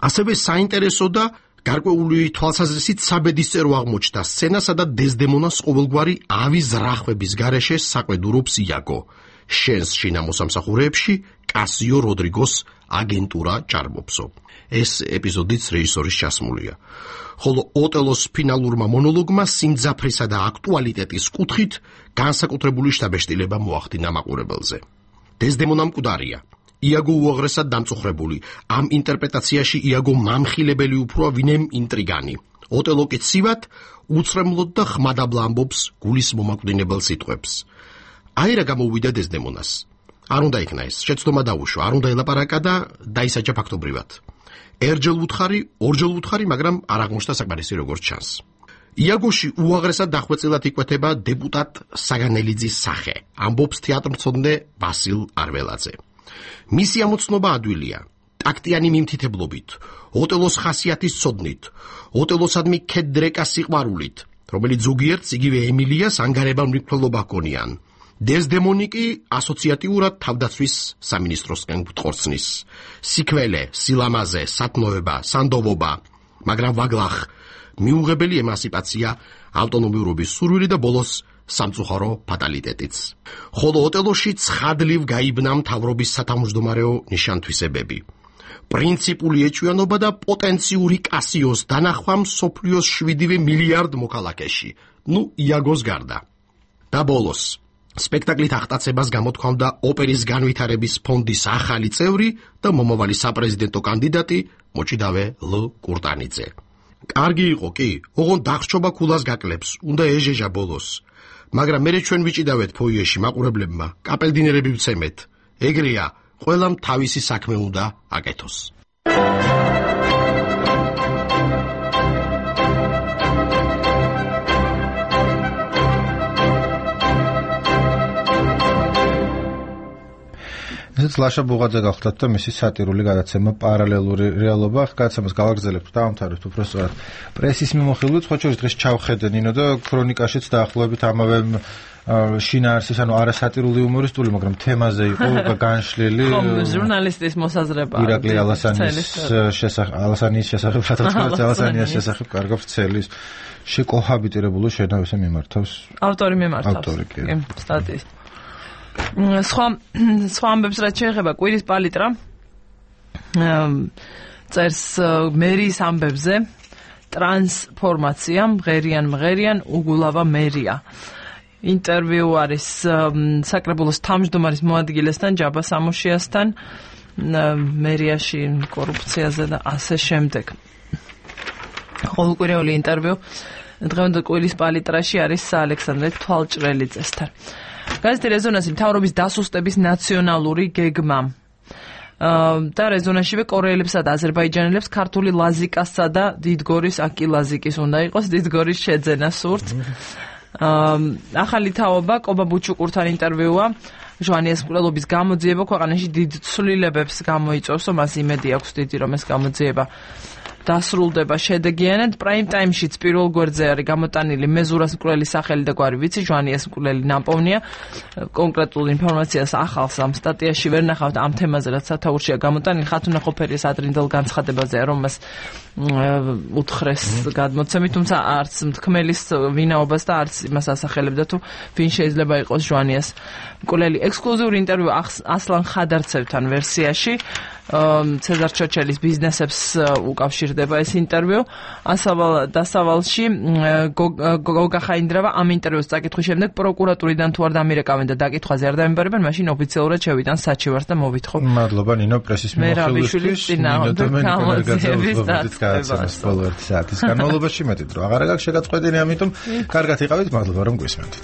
ასევე საინტერესო და გარკვეული თვალსაზრისით საბედისწერო აღმოჩნდა სცენა, სადაც დეზდემონას ყოველგვარი ავის ზრახვების გარეშე საყვედურობს იაგო. შენს შინა მოსამსახურეებში კასიო როდრიგოს აგენტურა ჭარბობსო. ეს ეპიზოდიც რეჟისორის ჩასმულია. ხოლო ოტელოს ფინალურმა მონოლოგმა სიმძაფრისა და აქტუალიტეტის კუთხით განსაკუთრებული შთაბეჭდილება მოახდინა მაყურებელზე. დეზდემონა მკვდარია. იაგო უაღრესად დამწუხრებული. ამ ინტერპრეტაციაში იაგო მამხილებელი უფროა, ვინემ ინტრიგანი. ოტელო კი ცივად, უცრემლოდ და ხმადაბლა ამბობს გულის მომაკვდინებელ სიტყვებს. აი რა გამოუვიდა დეზდემონას. არ უნდა იქნა ეს, შეცდომა დაუშვა, არ უნდა ელაპარაკა და დაისაჯა ფაქტობრივად. ერჯელ უთხარი, ორჯელ უთხარი, მაგრამ არ აღმოჩნდა საკმარისი როგორც ჩანს. იაგოში უაღრესად დახვეწილად იკვეთება დეპუტატ საგანელიძის სახე, ამბობს თეატრმცოდნე ვასილ არველაძე. მისი ამოცნობა ადვილია, ტაქტიანი მიმთითებლობით, ოტელოს ხასიათის ცოდნით, ოტელოსადმი ქედრეკა სიყვარულით, რომელიც ზოგიერთს იგივე ემილიას ანგარებელ მრიცხველობა ჰქონიან. დეზდემონი კი ასოციატიურად თავდაცვის სამინისტროსკენ გტყორცნის. სიქველე, სილამაზე, სათნოება, სანდოვობა, მაგრამ ვაგლახ, მიუღებელი ემანსიპაცია, ავტონომიურობის სურვილი და ბოლოს სამწუხარო ფატალიტეტიც. ხოლო ოტელოში ცხადლივ გაიბნა მთავრობის სათავმჯდომარეო ნიშანთვისებები. პრინციპული ეჭვიანობა და პოტენციური კასიოს დანახვა მსოფლიოს 7 მილიარდ მოქალაქეში. იაგოს გარდა. და ბოლოს სპექტაკლით აღტაცებას გამოთქვამდა ოპერის განვითარების ფონდის ახალი წევრი და მომავალი საპრეზიდენტო კანდიდატი მოჭიდავე ლ. კურტანიძე. კარგი იყო კი, ოღონდ დახშობა ქულას გაკლებს, უნდა ეჟეჟა ბოლოს. მაგრამ მე ჩვენ ვიჭიდავეთ ფოიეში მაყურებლებმა, კაპელდინერები ვცემეთ. ეგრეა, ყველამ თავისი საქმე უნდა აკეთოს. ესეც ლაშა ბუღაძე გახლდათ და მისი სატირული გადაცემა პარალელური რეალობა გადაცემას გავაგრძელებთ დავამთავრებთ უბრალოდ პრესის მიმოხილვით ხო შეიძლება დღეს ჩავხედე ნინო და ქრონიკაშიც დაახლოებით ამავე შინაარსის ანუ არასატირული იუმორისტული მაგრამ თემაზე იყო განშლილი ხო ჟურნალისტის მოსაზრება ირაკლი ალასანის შესახებ ალასანიას შესახებ კარგავს ცელის შეკოჰაბიტირებული შენავ ესე მიმართავს ავტორი კი სტატიის სხვა ამბებს რაც შეეხება კვირის პალიტრა წერს მერის ამბებზე ტრანსფორმაცია მღერიან უგულავა მერია ინტერვიუ არის საკრებულოს თავმჯდომარის მოადგილესთან ჯაბა სამუშიასთან მერიაში კორუფციაზე და ასე შემდეგ ყოველკვირეული ინტერვიუ დღევანდელ კვირის პალიტრაში არის ალექსანდრე თვალჭრელიძესთან გაზეთი რეზონანსი მთავრობის დასუსტების ნაციონალური გეგმა და რეზონანსშივე კორეელებსა და აზერბაიჯანელებს ქართული ლაზიკასსა და დიდგორის აკი ლაზიკის უნდა იყოს დიდგორის შეძენა სურთ ახალი თაობა კობა ბუჩუკურთან ინტერვიუა ჟვანიას მკვლელობის გამოძიება ქვეყანაში დიდ ცვლილებებს გამოიწვევს მას იმედი აქვს დიდი რომ ეს გამოძიება დასრულდება შედეგიანად პრაიმ ტაიმშიც პირველ გვერდზე არის გამოტანილი მეზურას მკვლელის სახელი და გვარი ვიცი ჟვანიას მკვლელი ნაპოვნია კონკრეტულ ინფორმაციას ახალს ამ სტატიაში ვერ ნახავთ ამ თემაზე რაც სათაურშია გამოტანილი ხათუნა ყოფერის ადრინდელ განცხადებაზე რომ მას უთხრეს გადმოცემით თუმცა არც მთქმელის ვინაობას და არც იმას ასახელებდა თუ ვინ შეიძლება იყოს ჟვანიას მკვლელი ექსკლუზიური ინტერვიუ ასლან ხადარცევთან ვერსიაში ცეზარ ჩოჩელის ბიზნესებს უკავშირდება ეს ინტერვიუ დასავალში გოგა ხაინდრავა ამ ინტერვიუს წაკითხვის შემდეგ პროკურატურიდან თუ არ დამირეკავენ და დაკითხვაზე არ დაემბარებენ მაშინ ოფიციალურად შევიტან საჩივარს და მოვითხოვ მადლობა ნინო პრესის მიმოხილვისთვის ნინო გადაცემას ბოლო 1 საათის განმავლობაში მეტი დრო აღარ გაქვს შეგაწყვეტილი ამიტომ კარგად იყავით მადლობა რომ გვისმენთ